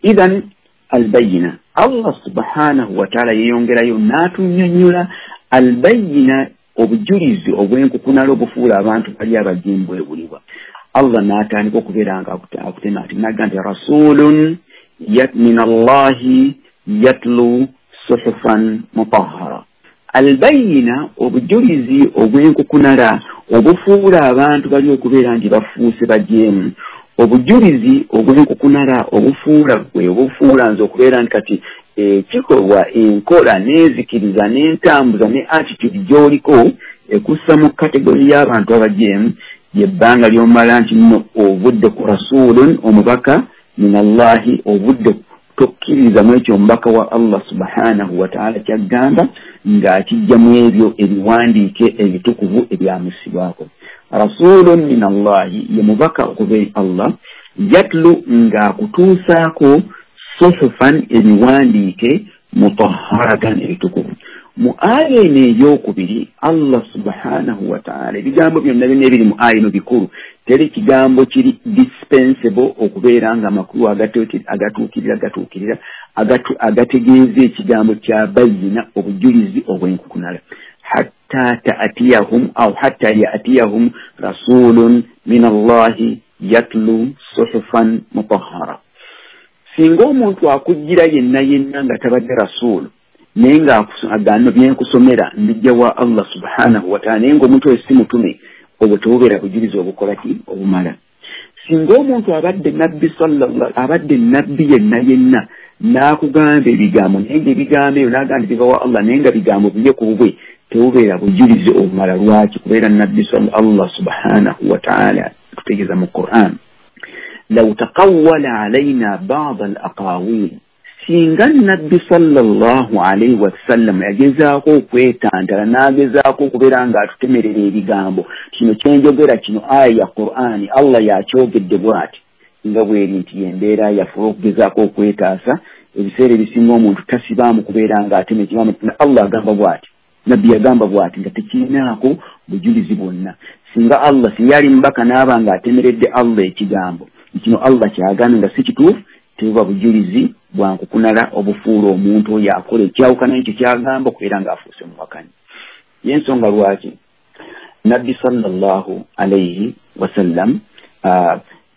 Ithan albayina, Allah subhanahu wa ta'ala yeeyongerayo n'atunnyonnyola albayina, obujulizi obw'enkukunala obufuula abantu bali abajimbwe bulibwa. Allah n'atandika okubeera nga akutema ati n'agamba nti rasulun min Allahi yatlu suhufan mutahhara. Albayina, obujulizi obw'enkukunala obufuula abantu bali okubeera nti bafuuse bajeemu, obujulizi obw'enkukunala obufuula gwe obufuula nze okubeera nti kati ekikolwa enkola n'enzikiriza n'entambuza ne attitude gy'oliko ekussa mu kategori y'abantu abajeemu, yebbanga ly'omala nti nno ovudde ku rasulun omubaka min Allahi, ovudde tokkiriza mu ekyo omubaka wa Allah subhanahu wa ta'ala ky'agamba ng'akijja mu ebyo ebiwandiike ebitukuvu ebyamusibwako. Rasulun min Allahi ye mubaka okuva eri Allah, yatlu ng'akutuusaako suhufan ebiwandiike mutahharatan ebitukuvu. Mu aya eno eyokubiri Allah subhanahu wa ta'ala ebigambo byonna byonna ebiri mu aya eno bikulu, teri kigambo kiri dispensable okubeera nga amakulu agatuukirira gatuukirira agategeeza ekigambo kya bayina, obujulizi obw'enkukunala. Hatta ta'tiyahum aw hatta ya'tiyahum rasulun min Allahi yatlu suhufan mutahhara. Singa omuntu akujjira yenna yenna nga tabadde rasuulu naye ng'agamba byenkusomera mbijja wa Allah subhanahu wa ta'ala, naye ng'omuntu oyo si mutume, obwo tebubeera bujulizi obukola ki obumala. Singa omuntu abadde nabbi sallallahu abadde nabbi yenna yenna n'akugamba ebigambo naye ng'ebigambo ebyo n'agamba nti biva wa Allah naye nga bigambo bye ku bubwe, tebubeera bujulizi obumala. Lwaki? Kubeera nabbi Allah subhanahu wa ta'ala tutegeeza mu Qur'an, law taqawwala alayna ba'd al-aqawil, singa nabbi sallallahu alayhi wasallam yagezaako okwetantala n'agezaako okubeera ng'atutemerera ebigambo, kino kyenjogera kino aya ya Qur'ani Allah yakyogedde bw'ati, nga bweri nti embeera yaffe okugezaako okwetaasa ebiseera ebisinga omuntu tasibaamu kubeera ng'atema ekigambo Allah agamba bw'ati, nabbi yagamba bw'ati, nga tekirinaako bujulizi bwonna. Singa Allah singa yali mubaka n'aba ng'atemeredde Allah ekigambo kino Allah kyagambye nga si kituufu, tebuba bujulizi bwankukunala obufuula omuntu oyo akola ekyawukana ekyo kyagamba okubeera ng'afuuse muwakanyi. Y'ensonga lwaki nabbi sallallahu alayhi wasallam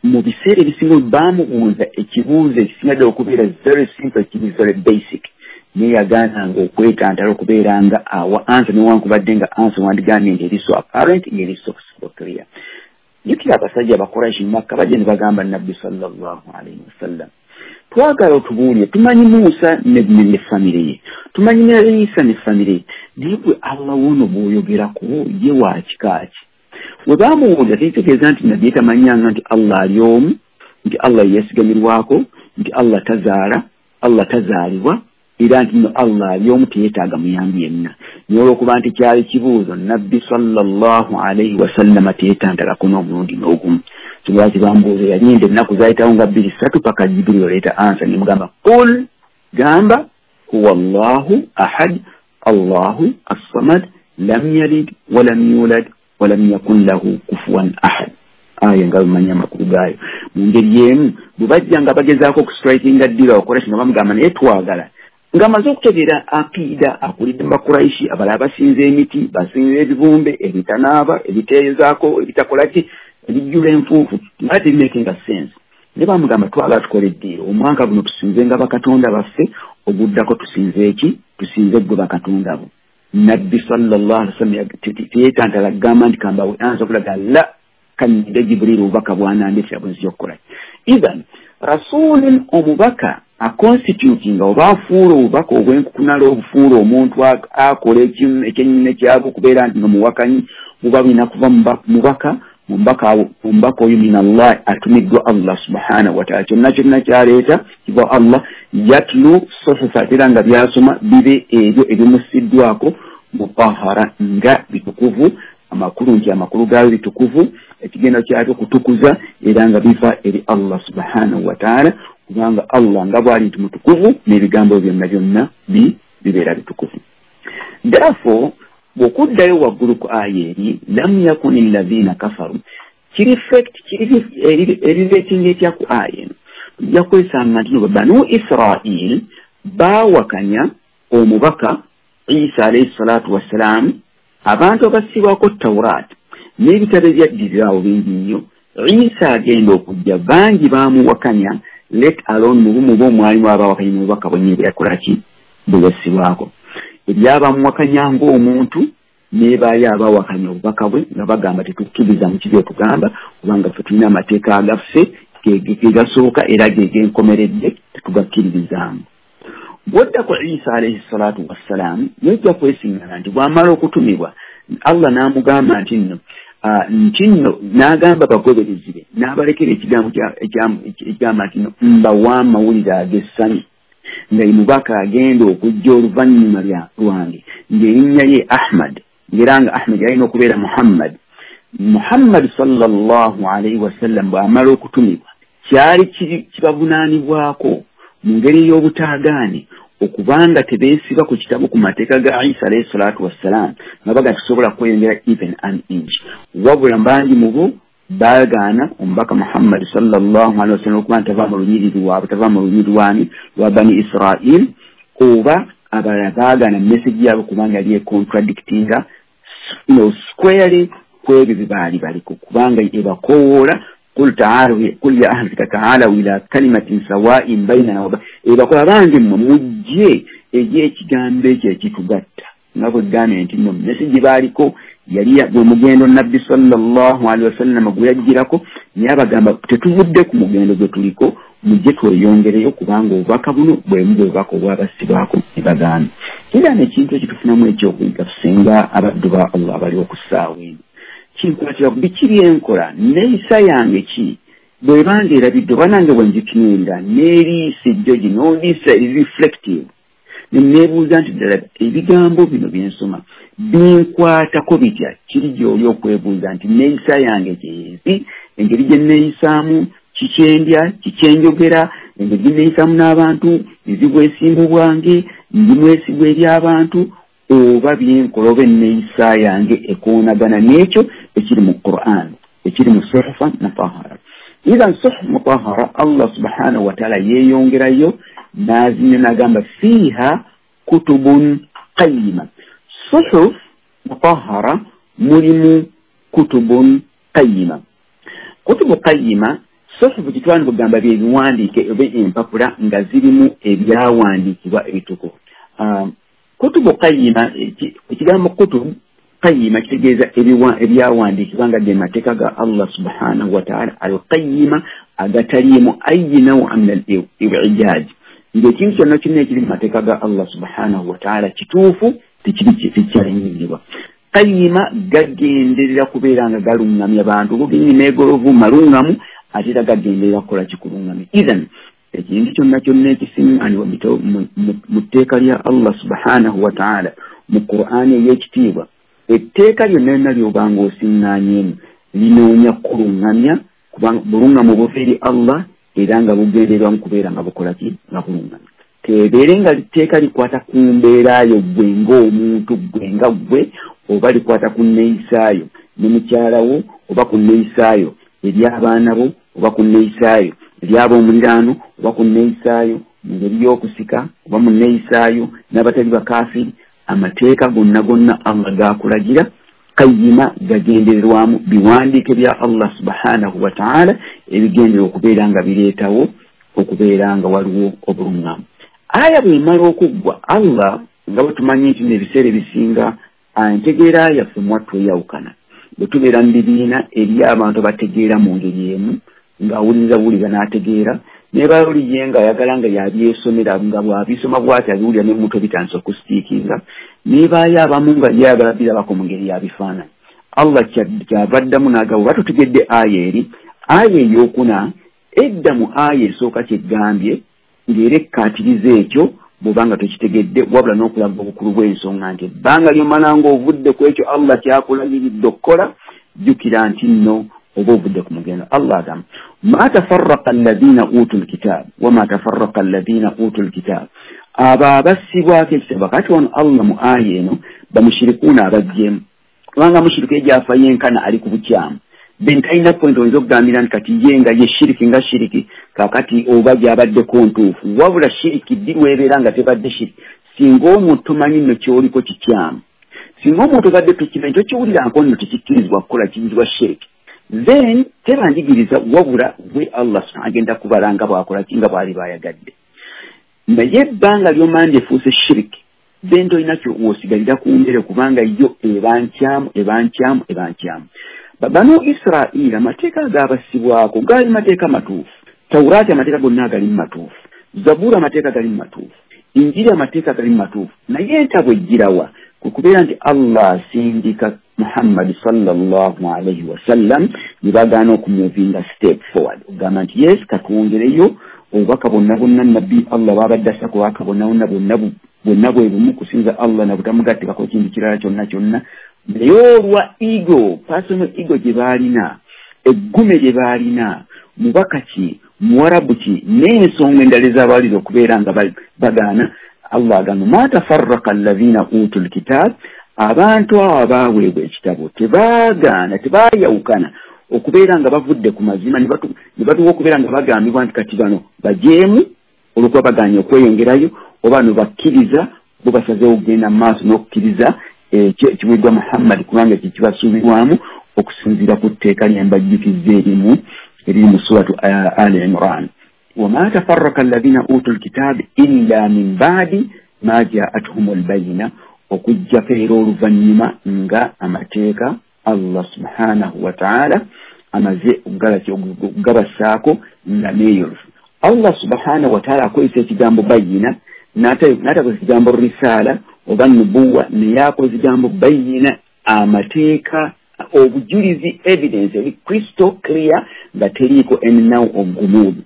mu biseera ebisinga baamubuuza ekibuuzo ekisinga ddala okubeera very simple, kiri very basic, naye yagaananga okwetantala okubeera nga awa ansa newankubadde nga ansa wandigambye nti eri so apparent, ng'eri so clear. Jjukira abasajja Abakuraishi mu Makka bajja ne bagamba nabbi sallallahu alayhi wasallam, twagala otubuulire, tumanyi Musa ne ne famire ye, tumanyi ne Isa ne famire ye, naye gwe Allah wuno bw'oyogerako ye wa kika ki? Bwe baamubuuza tekitegeeza nti nabbi tamanyanga nti Allah ali omu, nti Allah yeesigamirwako, nti Allah tazaala, Allah tazaalibwa, era nti nno Allah ali omu teyeetaaga muyambi yenna. Naye olw'okuba nti kyali kibuuzo nabbi sallallahu alayhi wasallama teyeetantalako n'omulundi n'ogumu. Lwaki bambuuza? Yalinda ennaku zaayitawo nga bbiri ssatu paka Jibril oleeta ansa nemugamba qul, gamba huwa Allahu ahad Allahu assamad lam yalid walam yulad walam yakun lahu kufuwan ahad. Aya nga bamanya amakulu gaayo. Mu ngeri y'emu bwe bajja nga bagezaako okustrikinga ddiiro Abakuraishi nga bamugamba naye twagala, ng'amaze okutegeera akiida akulidde mu Bakuraishi abalala basinza emiti, basinza ebibumbe, ebitanaaba, ebiteezaako, ebitakola ki, ebijjula enfuufu, nga tebimakinga sense. Ne bamugamba twagala tukole eddiiro, omwaka guno tusinze nga bakatonda baffe, oguddako tusinze eki? Tusinze ggwe bakatonda bo. Nabbi sallallahu alaihi wasallam teyeetantala kugamba nti kambawe ansa okulaga la kanyide Jibril obubaka bw'anandeetera bwe nzija okukola. Ithan rasulun, omubaka aconstitutinga oba afuula obubaka obw'enkukunala obufuula omuntu akola ekyennyine kyabwe okubeera nti nga muwakanyi, buba bulina kuva mubaka mubaka oyo min Allah, atumiddwa Allah subhanahu wa ta'ala, kyonna kyonna kyaleeta kiva Allah. Yatlu suhufa, era nga byasoma bibe ebyo ebimussiddwako mutahara, nga bitukuvu, amakulu nti amakulu gaayo bitukuvu, ekigendo kyabyo kutukuza, era nga biva eri Allah subhanahu wa ta'ala, kubanga Allah nga bw'ali nti mutukuvu n'ebigambo byonna byonna bibeera bitukuvu. Therefore bw'okuddayo waggulu ku aya eri lam yakuni alladhina kafaru, kiri effect kiri eriretinga etya ku aya eno? Tujja kwesanga nti no Banu Israil baawakanya omubaka Isa alayhi salatu wassalam, abantu abassibwako Tawraat n'ebitabo ebyaddirirawo bingi nnyo. Isa agenda okujja bangi baamuwakanya, let alone mu bumu bw'omwalimu abaawakanya mu bubaka bwennyini bwe yakola ki? Bwe yassibwako. Ebyabamuwakanya ng'omuntu n'ebaayo abaawakanya obubaka bwe nga bagamba tetukkiriza mu kibi otugamba, kubanga ffe tulina amateeka agaffe ge gasooka era ge genkomeredde tetugakkiririzaamu. Bw'odda ku Isa alayhi salatu wassalam, yajja kwesiŋŋana nti bw'amala okutumibwa Allah n'amugamba nti nno nti nno n'agamba bagoberezi be n'abalekera ekigambo ekigamba nti nno mbawa amawulire ag'essanyu nga ye mubaka agenda okujja oluvannyuma lwange, ng'erinnya ye Ahmad, ng'era nga Ahmad yalina okubeera Muhammad. Muhammad sallallahu alayhi wasallam bw'amala okutumibwa kyali kibavunaanibwako mu ngeri y'obutaagaane Okubanga tebeesiba ku kitabo ku mateeka ga Isa alayhi salatu wassalam, nga baga tusobola kweyongera even an inch. Wabula bangi mu bo baagaana omubaka Muhammad sallallahu alaihi wasallam okuba nti tava mu lunyiriri lwabwe, tava mu lunyiriri lwani lwa Bani Israel, oba abalala baagaana message yaabwe kubanga yali econtradictinga you know, squarely ku ebyo bye baali baliko, kubanga ebakowoola qul ta'alu qul ya ahli ta'alu ila kalimatin sawa'in bainana wa ebakola bange mmwe mujje egy'ekigambo ekyo ekitugatta. Nga bwe gambye nti nno message baaliko yali gwe mugendo Nabbi sallallahu alaihi wasallam gwe yajjirako, naye abagamba tetuvudde ku mugendo gwe tuliko, mujje tweyongereyo kubanga obubaka buno bwe mu bubaka obwabasibwako ne bagaana. Era n'ekintu ekitufunamu ekyokuyiga tusinga abaddu ba Allah abali okussaawa eno, kinkwatira ku biki byenkola, neeyisa yange ki bw'ebanga erabidde oba nange bwe ngitunuulira n'eriiso ejjogi n'oliisa eri reflective, ne neebuuza nti ddala ebigambo bino bye nsoma binkwatako bitya? Kiri gy'oli okwebuuza nti neeyisa yange gyezi, engeri gye neeyisaamu, kikyendya, kikyenjogera, engeri gye neeyisaamu n'abantu, nzi bwesimbu bwange, ndi mwesigwa eri abantu, oba byenkola oba enneeyisa yange ekoonagana n'ekyo ekiri mu Qur'an, ekiri mu suhufa mutahara. Idhan suhuf mutahara Allah subhanahu wa ta'ala yeeyongerayo n'azinya n'agamba fiiha kutubun qayyima. Suhuf mutahara mulimu kutubun qayyima. Kutubu qayyima, suhufu kitwani kugamba bye biwandiike oba empapula nga zirimu ebyawandiikibwa ebitukuvu. Um, kutubu qayyima, ekigambo kutubu qayyima kitegeeza ebyawandiikibwa nga ge mateeka ga Allah subhanahu wa ta'ala al-qayyima agataliimu ayyi naw'a min al-i'jaaj, ng'ekintu kyonna kyonna ekiri mu mateeka ga Allah subhanahu wa ta'ala kituufu, tekiri tekyalinyirirwa. Qayyima gagenderera kubeera nga galuŋŋamya bantu, gogenyi meegolovu maluŋŋamu, ate era gagenderera kukola kikuluŋŋamya. Idhan ekintu kyonna kyonna ekisiŋŋaanibwa mu tteeka lya Allah subhanahu wa ta'ala mu Qur'ani ey'ekitiibwa, etteeka lyonna lyonna ly'obanga osiŋŋaanyeemu linoonya kuluŋŋamya, kubanga buluŋŋamu buva eri Allah era nga bugendererwa mu kubeera nga bukola ki? Nga buluŋŋamya. Tebeere nga litteeka likwata ku mbeerayo ggwe ng'omuntu, ggwe nga ggwe, oba likwata ku nneeyisaayo ne mukyala wo, oba ku nneeyisaayo eri abaana bo, oba ku nneeyisaayo eri ab'omuliraano, oba ku nneeyisaayo mu ngeri y'okusika, oba mu nneeyisaayo n'abatali bakaafiri. Amateeka gonna gonna Allah gaakulagira qayyima gagendererwamu biwandiike bya Allah subhanahu wa ta'ala ebigendererwa okubeera nga bireetawo okubeera nga waliwo obuluŋŋamu. Aya bw'emala okuggwa, Allah nga bwe tumanyi nti n'ebiseera ebisinga entegeera yaffe mwattu eyawukana. Bwe tubeera mu bibiina eri abantu abategeera mu ngeri emu, ng'awuliriza buwuliza n'ategeera, ne bawuliye ng'ayagala nga yabyesomera, nga bw'abisoma bw'ati abiwulira ne mutwe bitandise okusitiikinga, ne baayo abamu nga yayagala birabako mu ngeri ya bifaananyi. Allah kyava addamu n'agamba, oba tutegedde aya eri, aya ey'okuna edda mu aya esooka kyegambye ng'era ekkaatiriza ekyo bw'oba nga tokitegedde, wabula n'okulaga obukulu bw'ensonga nti ebbanga ly'omala ng'ovudde ku ekyo Allah kyakulagiridde okukola, jjukira nti nno oba ovudde ku mugendo. Allah agamba ma tafarraqa alladhina utul kitab wama tafarraqa alladhina utul kitab, abo abassibwako ekitabo. Kati wano Allah mu aya eno bamushirikuuna abaggyemu, kubanga mushiriku egyafa yenkana ali ku bukyamu, then talina point oyinza okugambira nti kati ye nga ye shiriki nga shiriki kakati oba gy'abaddeko ntuufu. Wabula shiriki ddi lw'ebeera nga tebadde shiriki? Singa omuntu tomanyi nno ky'oliko kikyamu, singa omuntu obadde tokimanyi, tokiwulirako nno tekikkirizibwa kukola kiyitibwa shiriki, then teba njigiriza, wabula gwe Allah agenda kubala nga bw'akola ki nga bw'ali bw'ayagadde. Naye ebbanga ly'omanya efuuse shiriki, then tolina w'osigalira ku mbere, kubanga yo eba nkyamu, eba nkyamu, eba nkyamu. Bano Israeli amateeka agaabasibwako gaali mateeka matuufu, Tawuraati amateeka gonna agali matuufu, Zaburi amateeka gali matuufu, Injiri amateeka gali matuufu, naye entabwe ejjirawa ku kubeera nti Allah asindika Muhammad sallallahu alaihi wasallam ne bagaana okumuvinga step forward, okugamba nti yes katwongereyo obubaka bwonna bwonna nabbi Allah bw'abadde assa ku bubaka bwonna bwonna bwonna bwonna bwe bumu kusinza Allah na butamugattikako kintu kirala kyonna kyonna. Naye olwa ego, personal ego gye baalina, eggume lye baalina, mubaka ki, muwarabu ki, n'ensonga endala ezabawaliriza okubeera nga bagaana, Allah agamba ma tafarraqa alladhina utul kitab, abantu abo abaaweebwa ekitabo tebaagaana, tebaayawukana okubeera nga bavudde ku mazima ne batuwa okubeera nga bagambibwa nti kati bano bajeemu olw'okuba bagaanye okweyongerayo, oba no bakkiriza bo basazeewo okugenda mu maaso n'okukkiriza ekyo ekiweeddwa Muhammad, kubanga ekyo kibasuubirwamu okusinziira ku tteeka lye mbajjukizza erimu eriri mu suratu Ali Imran. Wama tafarraka alladhina utul kitab illa min ba'di ma ja'atuhumul bayina, okujjako era oluvannyuma nga amateeka Allah subhanahu wa ta'ala amaze okugabasaako nga neeyolufu. Allah subhanahu wa ta'ala akozesa ekigambo bayina, n'atakozesa ekigambo risaala oba nubuwa, naye akozesa ekigambo bayina, amateeka, obujulizi, evidence eri crystal clear nga teriiko ennawu ogumuudu,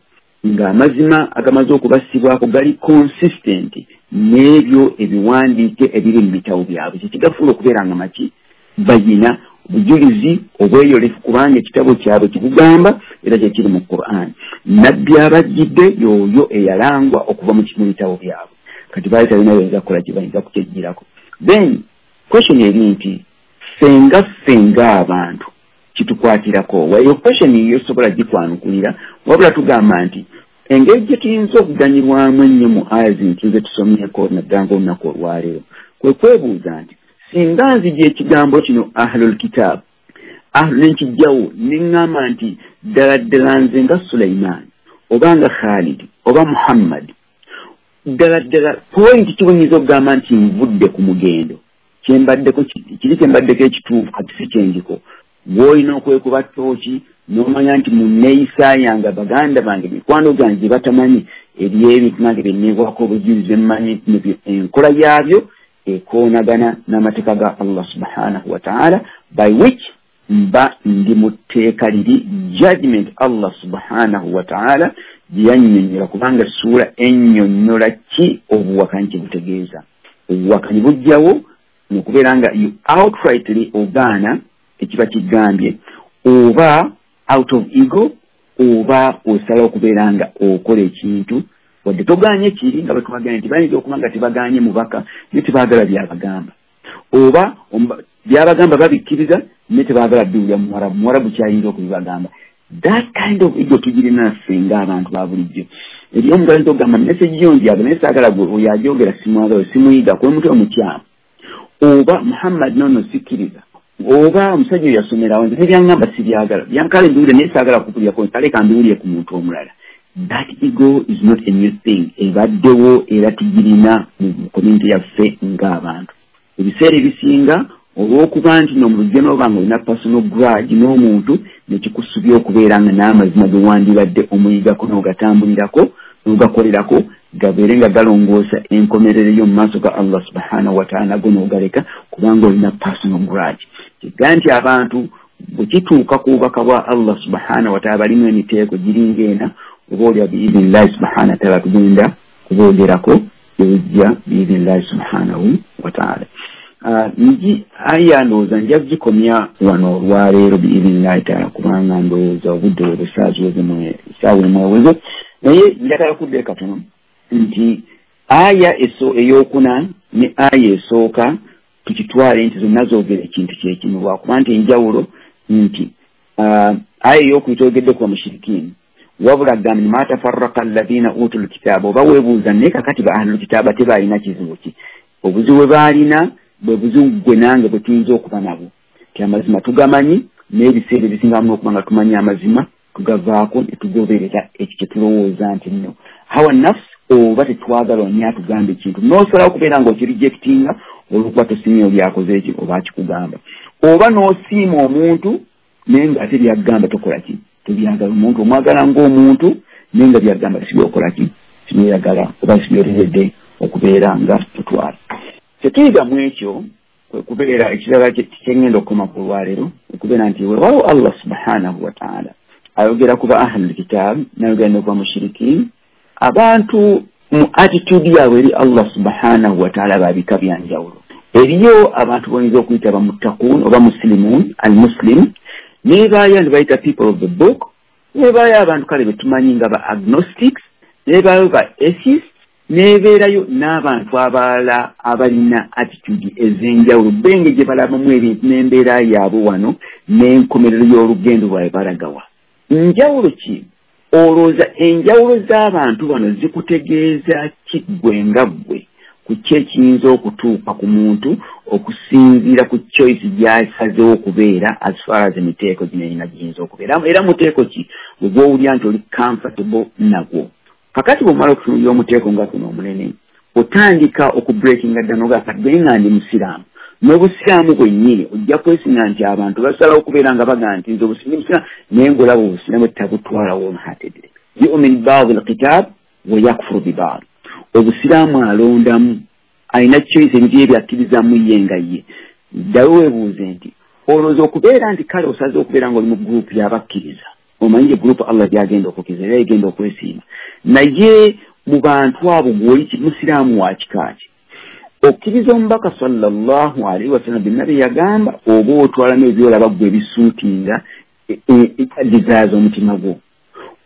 ng'amazima agamaze okubassibwako gali consistent n'ebyo ebiwandiike ebiri mu bitabo byabwe. Kyekigafuula okubeera nga maki bayina, obujulizi obweyolefu, kubanga ekitabo kyabwe kibugamba era kyekiri mu Qur'an. Nabbi abajjidde y'oyo eyalangwa okuva mu bitabo byabwe. Kati baali talina bayinza kukola kye bayinza kukyejjirako. Then question eri nti ffe ffe ng'abantu kitukwatirako. Eyo question yo sobola gikwanukulira, wabula tugamba nti engeri gye tuyinza okuganyulwamu ennyo mu aya zino ze tusomyeko naddala ng'olunaku olwaleero kwe kwebuuza nti singa nzija ekigambo kino ahlul kitab, ahlu nenkijjawo ne ŋŋamba nti ddala ddala nze nga Sulaiman oba nga Khalid oba Muhammad, ddala ddala point ki bwe nnyinza okugamba nti nvudde ku mugendo, kyembaddeko kiri kyembaddeko ekituufu kati si kyendiko. Gw'olina okwekuba ttooki n'omanya nti mu nneeyisa yange baganda bange mikwano gyange gye batamanyi eriyo ebintu nange bye nneebwako obujulizi bye mmanyi enkola yaabyo ekoonagana n'amateeka ga Allah subhanahu wa ta'ala, by which mba ndi mu tteeka liri judgment Allah subhanahu wa ta'ala gye yannyonnyola, kubanga essuula ennyonnyola ki obuwakanyi kye butegeeza. Obuwakanyi bujjawo n'okubeera nga you outrightly ogaana ekiba kigambye, oba out of ego, oba osala okubeera nga okola ekintu wadde togaanye kiri nga bwe tubagambye nti bayinza okuba nga tebagaanye mubaka naye tebaagala byabagamba, oba byabagamba babikkiriza naye tebaagala biwulira muwarabu, muwarabu kyayinza okubibagamba. That kind of ego tugirina ffe ng'abantu ba bulijjo. Eri omuntu ayinza okugamba message yo njagala naye saagala gwe oyo agyogera simwagala, simuyiga kuba mutwe omukyamu, oba Muhammad nono sikkiriza, oba omusajja oyo yasomerawo nze nebyaŋŋamba sibyagala, byankale mbiwulire naye saagala kukulyako, ntaleka mbiwulire ku muntu omulala. That ego is not a new thing, ebaddewo era tugirina mu community yaffe ng'abantu. Ebiseera ebisinga olw'okuba nti n'omulujja n'oba nga olina personal grudge n'omuntu nekikusubya okubeera nga n'amazima ge wandibadde omuyigako n'ogatambulirako n'ogakolerako gabeere nga galongoosa enkomerero yo mu maaso ga Allah subhanahu wa ta'ala, nago n'ogaleka kubanga olina personal grudge. Kiga nti abantu bwe kituuka ku bubaka bwa Allah subhanahu wa ta'ala balimu emiteeko giringa ena, oba olya biidhinillahi subhanahu wa ta'ala tugenda kuboogerako ebijja biidhinillahi subhanahu wa ta'ala. Nji aya ndowooza nja kugikomya wano olwaleero biidhinillahi ta'ala, kubanga ndowooza obudde bwe busaaziweze essaawa emu eweze, naye njagala kuddayo katono nti aya ey'okuna ne aya esooka tukitwale nti zonna zoogera ekintu kyekimu, lwakuba nti enjawulo nti aya ey'okubiri twogedde ku bamushirikiini, wabula gamba ma tafarraqa alladhina utul kitaaba, oba weebuuza naye kakati ba ahlul kitaaba tebalina kizibu ki? Obuzibu bwe baalina bwe buzibu gwe nange bwe tuyinza okuba nabwo, ti amazima tugamanyi n'ebiseera ebisingamu n'okuba nga tumanyi amazima tugavaako ne tugoberera ekyo kye tulowooza nti nno hawa nafsi, oba tetwagala oni atugamba ekintu n'osalawo okubeera ng'okirejectinga olw'okuba tosiimye oli akoze eki oba akikugamba, oba n'osiima omuntu naye ng'ate byagamba tokola ki, tobyagala. Omuntu omwagala ng'omuntu naye nga byagamba si byokola ki, si byoyagala oba si byoteredde okubeera nga tutwala. Kyetuyiga mu ekyo kwe kubeera ekirala kyengenda okukoma ku lwaleero, okubeera nti weewaawo Allah subhanahu wa ta'ala ayogera ku ba ahlul kitab n'ayogera ne ku bamushirikiin, abantu mu attitude yaabwe eri Allah subhanahu wa ta'ala babika bya njawulo. Eriyo abantu boyinza okuyita bamuttaquun oba muslimuun, al-muslim, neebaayo ne bayita people of the book, neebaayo abantu kale be tumanyi nga ba agnostics, neebaayo ba atheists, N'ebeerayo n'abantu abalala abalina attitude ez'enjawulo, benge gye balabamu ebintu n'embeera yaabwe wano n'enkomerero y'olugendo lwabwe balagawa. Njawulo ki? Olowooza enjawulo z'abantu bano zikutegeeza ki ggwe nga ggwe ku ki ekiyinza okutuuka ku muntu okusinziira ku choice gy'asazeewo okubeera as far as emiteeko gino erina giyinza okubeera, era muteeko ki gwe gw'owulira nti oli comfortable nagwo? Kakati bw'omala okutunuulira omuteeko nga guno omunene, otandika okubreakinga dda n'ogamba kati gwe nga ndi musiraamu, n'obusiraamu bwennyini ojja kwesinga nti abantu basalawo okubeera nga bagamba nti nze obusiraamu musiraamu, naye ng'olaba obusiraamu tabutwala wholeheartedly. Yu'min ba'd al-kitab wa yakfuru bi ba'd. Obusiraamu alondamu, alina choice ebintu bye byakkirizaamu ye nga ye. Ddayo weebuuze nti olowooza okubeera nti kale osaze okubeera ng'oli mu gurupu y'abakkiriza, omanyi gurupu Allah gy'agenda okukkiriza era egenda okwesiima, naye mu bantu abo gw'oli musiraamu wa kika ki? Okkiriza omubaka sallallahu alaihi wasallam byonna bye yagamba, oba otwalamu ebyolaba ggwe ebisuutinga desire z'omutima gwo?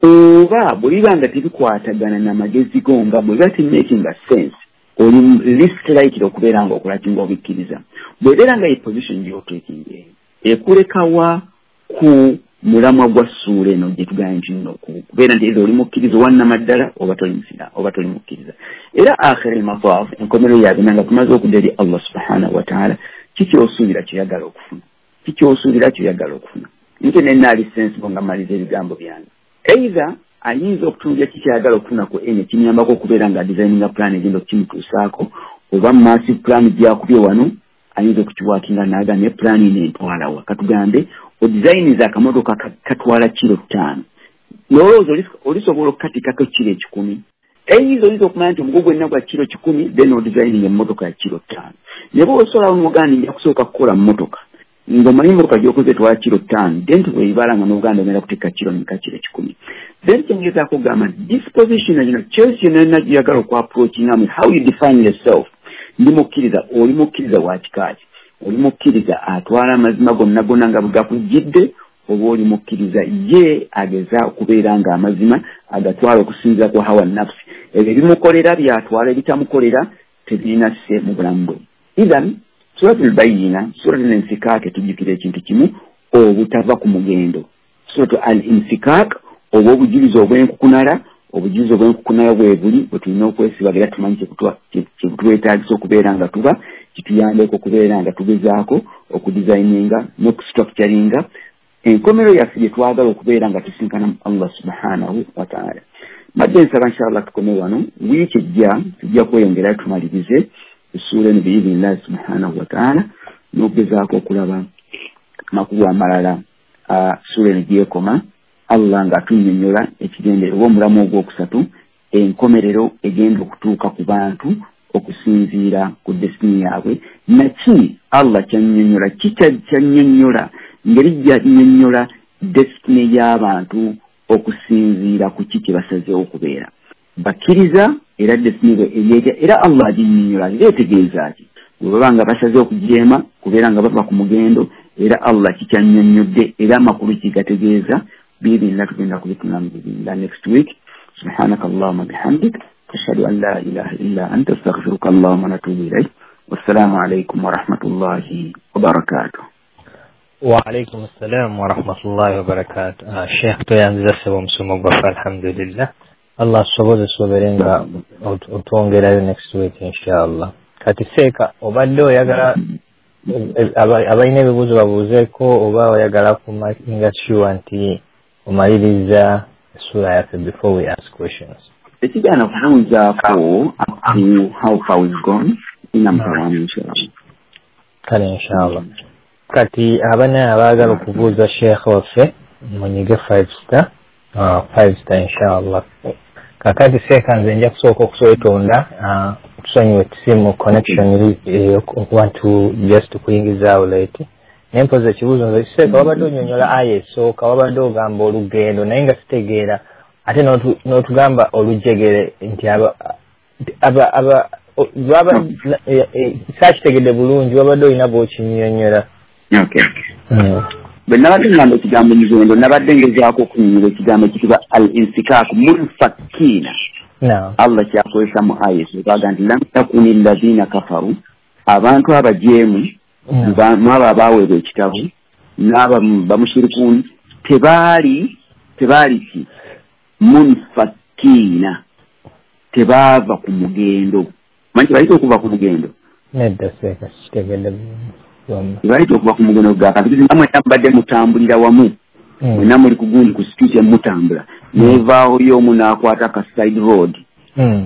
Oba bwe biba nga tebikwatagana n'amagezi go nga bwe biba temakinga sense, oli least likely okubeera nga okola ki ng'obikkiriza. Bw'ebeera nga ye position gy'oteekinga eyo ekulekawa ku mulamwa gwa ssuula eno gye tugambye nti nno kubeera nti either oli mukkiriza owannamaddala oba toli musiraamu oba toli mukkiriza. Era akhir al-mataf, enkomerero ya byonna nga tumaze okudda eri Allah subhanahu wa ta'ala, ki ky'osuubira ky'oyagala okufuna? Ki ky'osuubira ky'oyagala okufuna? Nte nennaali sensible nga mmaliza ebigambo byange. Either ayinza okutunuulira ki ky'ayagala okufuna ku eno ekimuyambako okubeera nga designinga plan egenda okukimutuusaako, oba massive plan gy'akubye wano ayinza okukiwakinga n'agamba ne plan eno entwala wa. Katugambe odizayiniza akamotoka katwala kiro ttaano, n'olowooza olisobola okukatikako kiro ekikumi. Eyinza oyinza okumanya nti omugugu gwenna gwa kiro kikumi, then odizayininga emmotoka ya kiro ttaano. Naye bw'oba osolawo n'ogamba nti nja kusooka kukola mmotoka, ng'omanyi emmotoka gy'okoze etwala kiro ttaano, then bw'ebibala nga n'ogamba ogenda kutikka kiro mmeka, kiro kikumi. Then kyengezaako okugamba nti disposition yino, choice yonna yonna gy'oyagala okuapproachingamu, how you define yourself, ndi mukkiriza, oli mukkiriza wa kika ki? Oli mukkiriza atwala amazima gonna gonna nga bwe gakujjidde, oba oli mukkiriza ye ageza okubeera nga amazima agatwala okusinziira ku hawa nafsi, ebyo ebimukolera byatwala, ebitamukolera tebirina sse mu bulamu bwe. Idhan Suratul Bayyina, Suratul Infikak etujjukira ekintu kimu, obutava ku mugendo. Suratu Al-Infikak, oba obujulizi obw'enkukunala, obujulizi obw'enkukunala bwe buli bwe tulina okwesibaga era tumanyi kyebutwetaagisa okubeera nga tuba kituyambeko okubeera nga tugezaako okudesigninga n'okustructuringa enkomerero yaffe gye twagala okubeera nga tusinkana mu Allah subhanahu wa ta'ala. Mbadde nsaba inshallah tukome wano, wiiki ejja tujja kweyongera tumalirize essuula eno biidhinillahi subhanahu wa ta'ala n'okugezaako okulaba amakulu amalala ssuula eno gyekoma, Allah ng'atunnyonnyola ekigendererwa omulamu ogwokusatu, enkomerero egenda okutuuka ku bantu okusinziira ku destiny yaabwe. Naki Allah kyannyonnyola, ki kyannyonnyola, ngeri gyannyonnyola destiny y'abantu okusinziira ku ki kye basazeewo okubeera. Bakkiriza era destiny eryetya, era Allah aginnyonnyola era etegeeza ki? Bwe baba nga basazeewo okujeema kubeera nga bava ku mugendo, era Allah kikyannyonnyodde era amakulu kigategeeza. Biidhinillah tugenda kubitunulamu biidhinillah next week. Subhanaka Allahumma bihamdik, ashhadu an la ilaha illa anta, astaghfiruka Allahumma wa atubu ilayk. Wassalamu alaykum wa rahmatullahi wa barakatuh. Wa alaykum assalam wa rahmatullahi wa barakatuh. Sheikh toyanziza ssebo omusomo gwaffe, alhamdulillah. Allah asobozese obeere nga otwongerayo next week inshallah. Kati seeka obadde oyagala abalina ebibuuzo babuuzeeko, oba oyagala kumakinga sure nti omaliriza essuula yaffe before we ask questions? Ekigaana kubuuzaako up to how far we've gone, inamutawamu inshallah. Kale inshallah. Kati abana abaagala okubuuza Sheikh waffe munyige five star, uh, five star inshallah. Kakati seeka nze nja kusooka okuswetonda, uh, tusonyiwe simu connection okuba nti just kuyingizaawo late. Naye mpozi ekibuuzo nze seeka wabadde onyonnyola aya esooka, wabadde ogamba olugendo naye nga sitegeera, ate n'otugamba olujegere nti aba aba aba baba saakitegedde bulungi, wabadde olina bw'okinnyonnyola. Okay. Bwe nabadde ngamba ekigambo mugendo, nabadde ngezaako okunnyonnyola ekigambo ekitibwa al-insikaku munfakiina. Allah kyakozesa mu aya esooka nti lam takuni allazina kafaru, abantu abajeemu mwabo abaweebwa ekitabo n'aba bamushirikuuni tebaali tebaali ki munfakiina, tebaava ku mugendo. Manyi tebalita okuva ku mugendo? Nedda seeka kitegedde byonna. Tebalita okuva ku mugendo gakati namwe mubadde mutambulira wamu, mwenna muli ku gundi ku street emutambula, nevaawo y'omu n'akwata ka side road,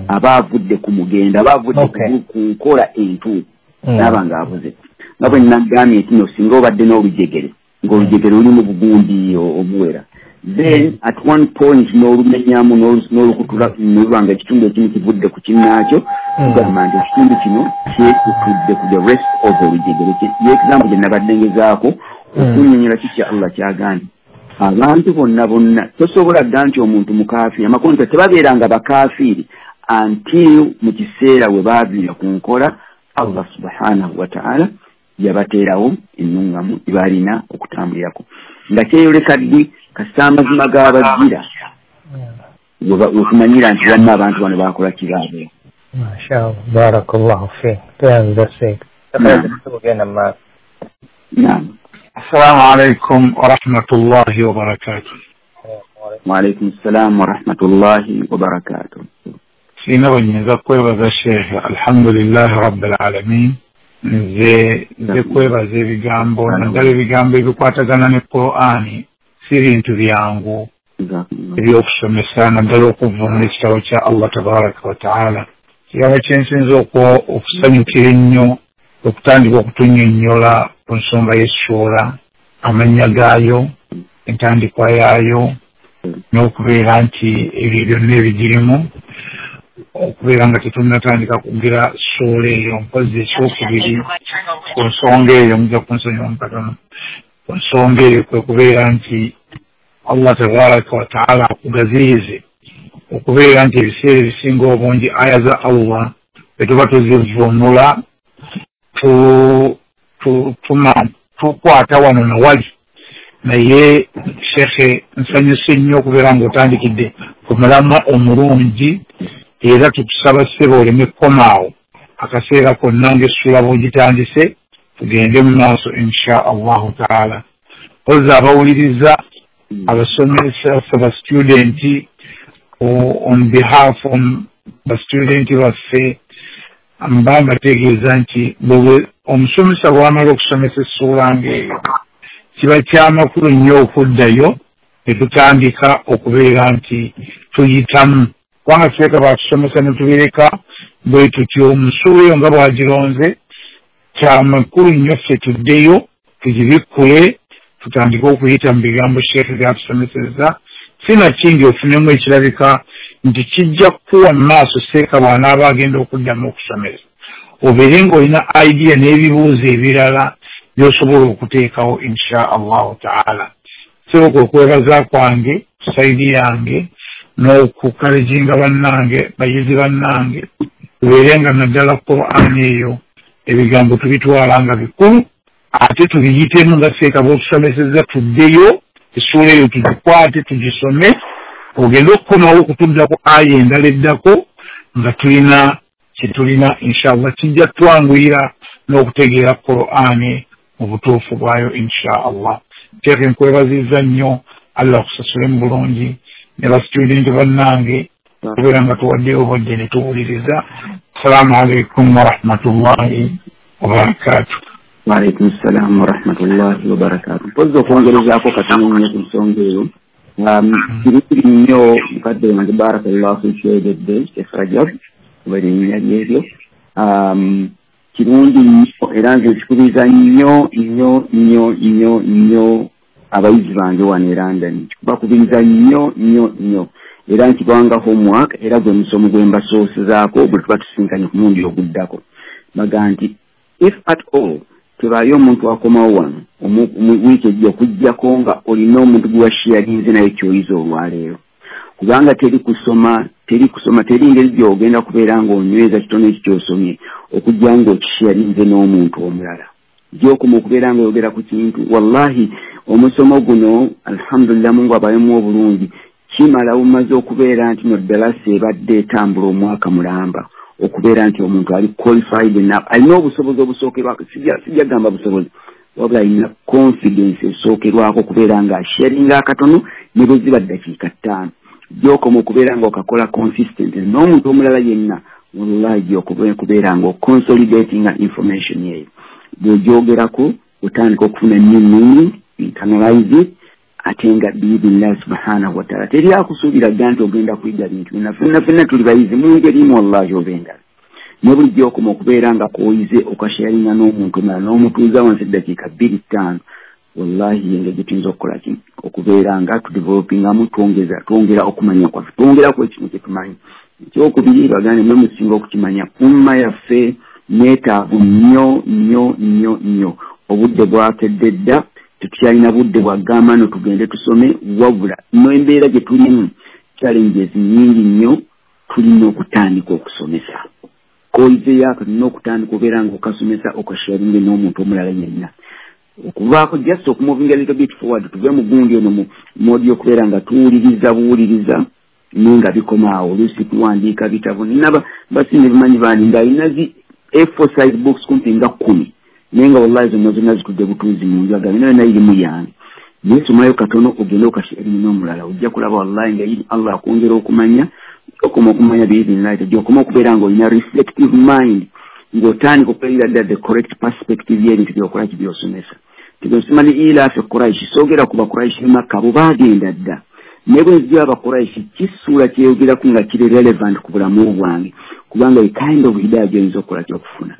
aba avudde ku mugendo, aba avudde ku nkola entuufu, n'aba ng'avuze. Nga bwe nagambye nti no singa obadde n'olujegere, ng'olujegere lulimu bugundi obuwera, then at one point n'olumenyamu n'olukutula n'oluba nga ekitundu ekimu kivudde ku kinnaakyo, tugamba nti ekitundu kino kyekutudde ku the rest of olujegere. Ye example gye nabadde ngezaako okunnyonnyola kiki Allah kyagambye. Abantu bonna bonna tosobola dda nti omuntu mukaafiiri, amakulu nti tebabeeranga bakaafiiri until mu kiseera we baaviira ku nkola Allah subhanahu wa ta'ala yabateerawo ennungamu balina okutambulirako. Nga kyeyoleka ddi? Kasita amazima g'abajjira wetumanyira nti banna abantu bano baakola kiraabo. Mashallah, barakallahu fiik. Tuyanza seeka. Tugenda mu maaso. Naam. Assalamu alaikum wa rahmatullahi wa barakatuh. Wa alaikum assalam wa rahmatullahi wa barakatuh. Sina bwe kwebaza Sheikh, alhamdulillahi rabbil alamin. Nze nze kwebaza ebigambo naddala ebigambo ebikwatagana ne Qur'ani si bintu byangu ebyokusomesa, naddala okuvvuunula ekitabo kya Allah tabaraka wa taala. Kirabo kyensinza okusanyukira ennyo okutandika okutunnyonnyola ku nsonga y'essuula, amannya gaayo, entandikwa yaayo, n'okubeera nti ebyo byonna ebigirimu, okubeera nga tetunnatandika kugira ssuula eyo. Mpozi ekyokubiri ku nsonga eyo, mujja kunsonyiwa katono, ku nsonga eyo kwe kubeera nti Allah tabaraka wa taala akugaziyize okubeera nti ebiseera ebisinga obungi aya za Allah bwe tuba tuzivvuunula tukwata wano na wali. Naye Shekhe nsanyuse nnyo okubeera ng'otandikidde ku mulamwa omulungi, era tukusaba ssebo oleme kukomaawo akaseera konna ng'essuula bw'ogitandise tugende mu maaso insha Allahu taala. Kozza abawuliriza, abasomesa, abastudenti, on behalf of bastudenti baffe, mba mbategeeza nti omusomesa bw'amala okusomesa essuula ng'eyo kiba kyamakulu nnyo okuddayo ne tutandika okubeera nti tuyitamu, kubanga seeka batusomesa ne tubireka bwe tutyo. Omusuula eyo nga bw'agironze kyamakulu nnyo ffe tuddeyo tugibikkule tutandike okuyita mu bigambo Sheikh byatusomesezza. Sinakindi ofunemu ekirabika nti kijja kukuwa mu maaso seeka bw'anaaba agenda okuddamu okusomesa, obeere ng'olina idea n'ebibuuzo ebirala by'osobola okuteekawo insha Allahu taala. Sooka okwebaza kwange saidi yange n'okukalejinga bannange, bayizi bannange, tubeere nga naddala Qur'ani eyo ebigambo tubitwala nga bikulu, ate tubiyitemu nga seeka bw'otusomesezza, tuddeyo essuula eyo tugikwate tugisome, ogende okukomawo okutudda ku aya endala eddako nga tulina kyetulina inshallah. Kijja twanguyira n'okutegeera Qur'ani mu butuufu bwayo insha Allah. Sheikh nkwebazizza nnyo, Allah akusasule mu bulungi ne basitudenti bannange okubeera nga tuwaddeyo obudde ne tuwuliriza. Assalamu alaikum warahmatullahi wabarakatuh. Wa alaikum assalam warahmatullahi wabarakatuh. Mpozi okwongerezaako katono nnyo ku nsonga eyo, kirungi nnyo mukadde wange barakallahu fiik kyeyogedde Sheikh Rajab oba erinnya lyeryo, kirungi nnyo era nze nkikubiriza nnyo nnyo nnyo nnyo nnyo abayizi bange wano e London, bakubiriza nnyo nnyo nnyo era nkibanga homework, era gwe musomo gwe mbasoosezaako bwe tuba tusinkanye ku mulundi oguddako. Baga nti if at all tebaayo omuntu akomawo wano wiiki ejja okuggyako nga olina omuntu gwe washiyalinze naye ky'oyiza olwaleero, kubanga teri kusoma teri kusoma teri ngeri gy'ogenda kubeera ng'onyweza kitono ekyo ky'osomye okujja ng'okishiyalinze n'omuntu omulala. Gy'okoma okubeera ng'oyogera ku kintu, wallahi omusomo guno alhamdulillah Mungu abayemu obulungi, Kimala umaze okubeera nti no ddalasa ebadde etambula omwaka mulamba okubeera nti omuntu ali qualified enough, alina obusobozi obusookerwako, sijja gamba busobozi, wabula alina confidence esookerwako okubeera nga asharinga akatono ne bwe ziba ddakiika ttaano. Gy'okoma okubeera nga okakola consistent n'omuntu omulala yenna, wallahi gy'okoma okubeera nga oconsolidatinga information eyo. Bw'ogyogerako otandika okufuna new meaning, internalize it, ate nga biidhinillahi subhanahu wa ta'ala teri akusuubira dda nti ogenda kuyiga bintu byonna. Ffenna ffenna tuli bayizi mu ngeri emu wallahi oba endala. Ne buli gy'okoma okubeera nga k'oyize okasharinga n'omuntu omulala n'omutuuza wansi eddakiika bbiri ttaano, wallahi engeri gye tuyinza okukola ki okubeera nga tudevelopingamu, twongeza twongera okumanya kwaffe, twongeraku ekintu kye tumanyi. Ekyokubiri, baganda mmwe musinga okukimanya, umma yaffe neetaavu nnyo nnyo nnyo nnyo. Obudde bwakedde dda, tetukyalina budde bwagamba no tugende tusome, wabula n'embeera gye tulimu challenges nnyingi nnyo, tulina okutandika okusomesa. K'oyizeeyo tulina okutandika obeera nga okasomesa okasharinge n'omuntu omulala yenna. Okuvaako just okumovinga a little bit forward, tuve mu gundi eno mu modi y'okubeera nga tuwuliriza buwuliriza naye nga bikoma awo. Oluusi tuwandiika bitabo, nina basinga bimanyi bandi ng'alina zi A four size books kumpi nga kkumi, naye nga wallahi zonna zonna zitudde butuuzi mu nju, agamba nayo nayo irimu yange. Naye somayo katono ogende okasharinge n'omulala, ojja kulaba wallahi nga iri Allah akwongera okumanya, okoma okumanya biidhinillahi, ojja okoma okubeera ng'olina reflective mind, ng'otandika okubeera ddala the correct perspective y'ebintu by'okola ki by'osomesa. Tigensoma ni ilaafi Quraish, soogera ku Bakuraishi Makka bo baagenda dda. Naye bwe nzija Abakuraishi kisuula kyeyogeraku nga kiri relevant ku bulamu bwange, kubanga a kind of hidaya gy'oyinza okukola ky'okufuna.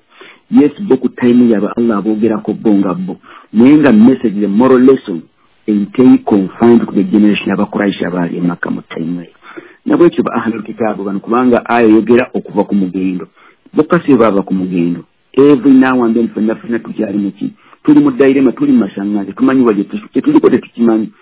Yes, bo ku time yaabwe Allah aboogerako bo nga bo, naye nga message, the moral lesson eiteri confined ku the generation y'Abakuraishi abaali e Makka mu time eyo. Nabwekyo ba ahlul kitaabu bano, kubanga aya eyogera okuva ku mugendo, bokka si baava ku mugendo. Every now and then ffenna ffenna tukyali mu ki, tuli mu dayirema, tuli mu masaŋŋanze, tumanyi wa gye tuliko tetukimanyi.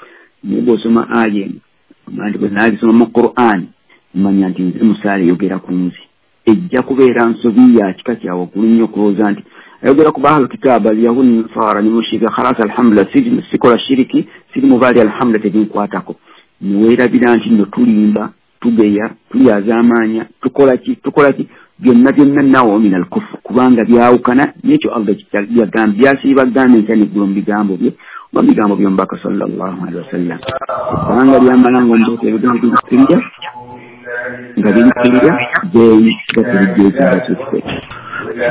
Naye bw'osoma aya eno, omanya nti bwe naagisoma mu Qur'an, mmanya nti nze musaala eyogera ku nze. Ejja kubeera nsobi ya kika kya waggulu nnyo okulowooza nti ayogera ku baahlu kitaabu alyahudi nasara ne mushirika, khalas alhamdulillah, sikola shiriki, siri mu baali alhamdulillah, tebinkwatako. Ne weerabira nti nno tulimba, tugeya, tulyazaamaanya, tukola ki, tukola ki, byonna byonna nawo min al-kufr, kubanga byawukana n'ekyo Allah yagambye, byasiiba agamba enkya n'eggulo mu bigambo bye oba mu bigambo by'omubaka sallallahu alaihi wasallam. Kubanga byamala ng'omubaka ebigambo bikkirira nga bikkirira then gatubijja ekiba kyekifo.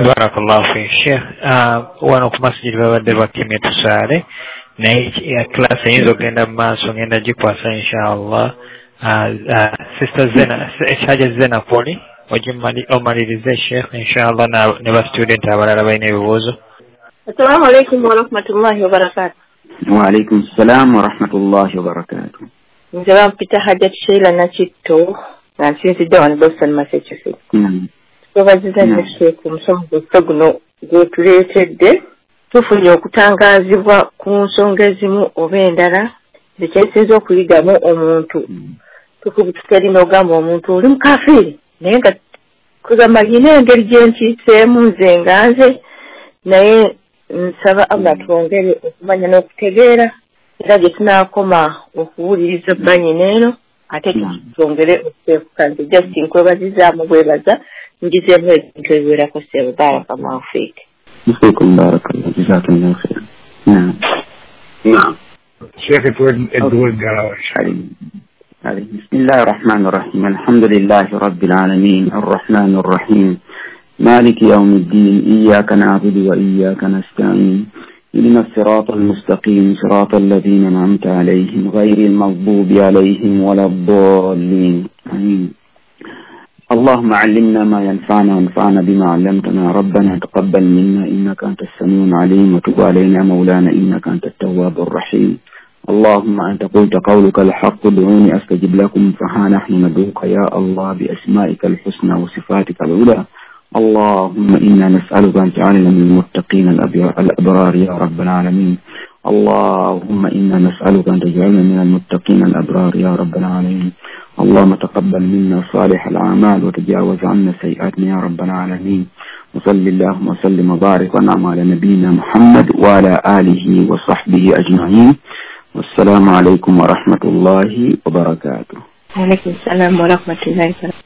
Barakallahu fi Sheikh. Wano ku masjid babadde bakimye tusaale, naye class eyinza okugenda mu maaso, ngenda gikwasa inshallah. Sister Zena, Haja Zena Poli, omalirize Sheikh inshallah, ne ba student abalala balina ebibuuzo. Assalamu alaikum wa rahmatullahi wa barakatuh. Wa alaikum salam wa rahmatullahi wa barakatuh. Nze bampita Hajat Sheila Nakitto nga nsinzidde wano Boston, Massachusetts. Twebaziza nnyo Sheikh omusomo gwaffe guno gwetuleetedde. Tufunye okutangaazibwa ku nsonga ezimu oba endala. Nze kyensinza okuyigamu, omuntu tukubutuka eri n'ogamba omuntu oli mukafiiri, naye nga kugamba nyina engeri gye nkiiseemu nze nga nze, naye nsaba Allah twongere okumanya n'okutegeera, era gye tunaakoma okuwuliriza banyina eno ate twongere okuteekuka. Nze just nkwebazizaamu bwebaza, ngizeemu ebintu ebiwerako. Ssebo, barakallahu fiik. Fiikum barakallahu, jazakumullahu khair. Naam. Naam. Sheikh edduwa eggalawo. بسم الله الرحمن الرحيم. الحمد لله رب العالمين الرحمن الرحيم مالك يوم الدين إياك نعبد وإياك نستعين اهدنا الصراط المستقيم صراط الذين أنعمت عليهم غير المغضوب عليهم ولا الضالين آمين. اللهم علمنا ما ينفعنا وانفعنا بما علمتنا ربنا تقبل منا إنك أنت السميع العليم وتب علينا مولانا إنك أنت التواب الرحيم. اللهم أنت قلت قولك الحق ادعوني أستجب لكم فها نحن ندعوك يا الله بأسمائك الحسنى وصفاتك العلى. اللهم إنا نسألك أن تجعلنا من المتقين الأبرار يا رب العالمين. اللهم إنا نسألك أن تجعلنا من المتقين الأبرار يا رب العالمين. اللهم تقبل منا صالح الأعمال وتجاوز عنا سيئاتنا يا رب العالمين. وصل اللهم وسلم وبارك وانعم على نبينا محمد وعلى آله وصحبه أجمعين. Wassalaamu alaikum warahmatullahi wabarakatuh. Waalaikum salaam warahmatullahi wabarakatuh.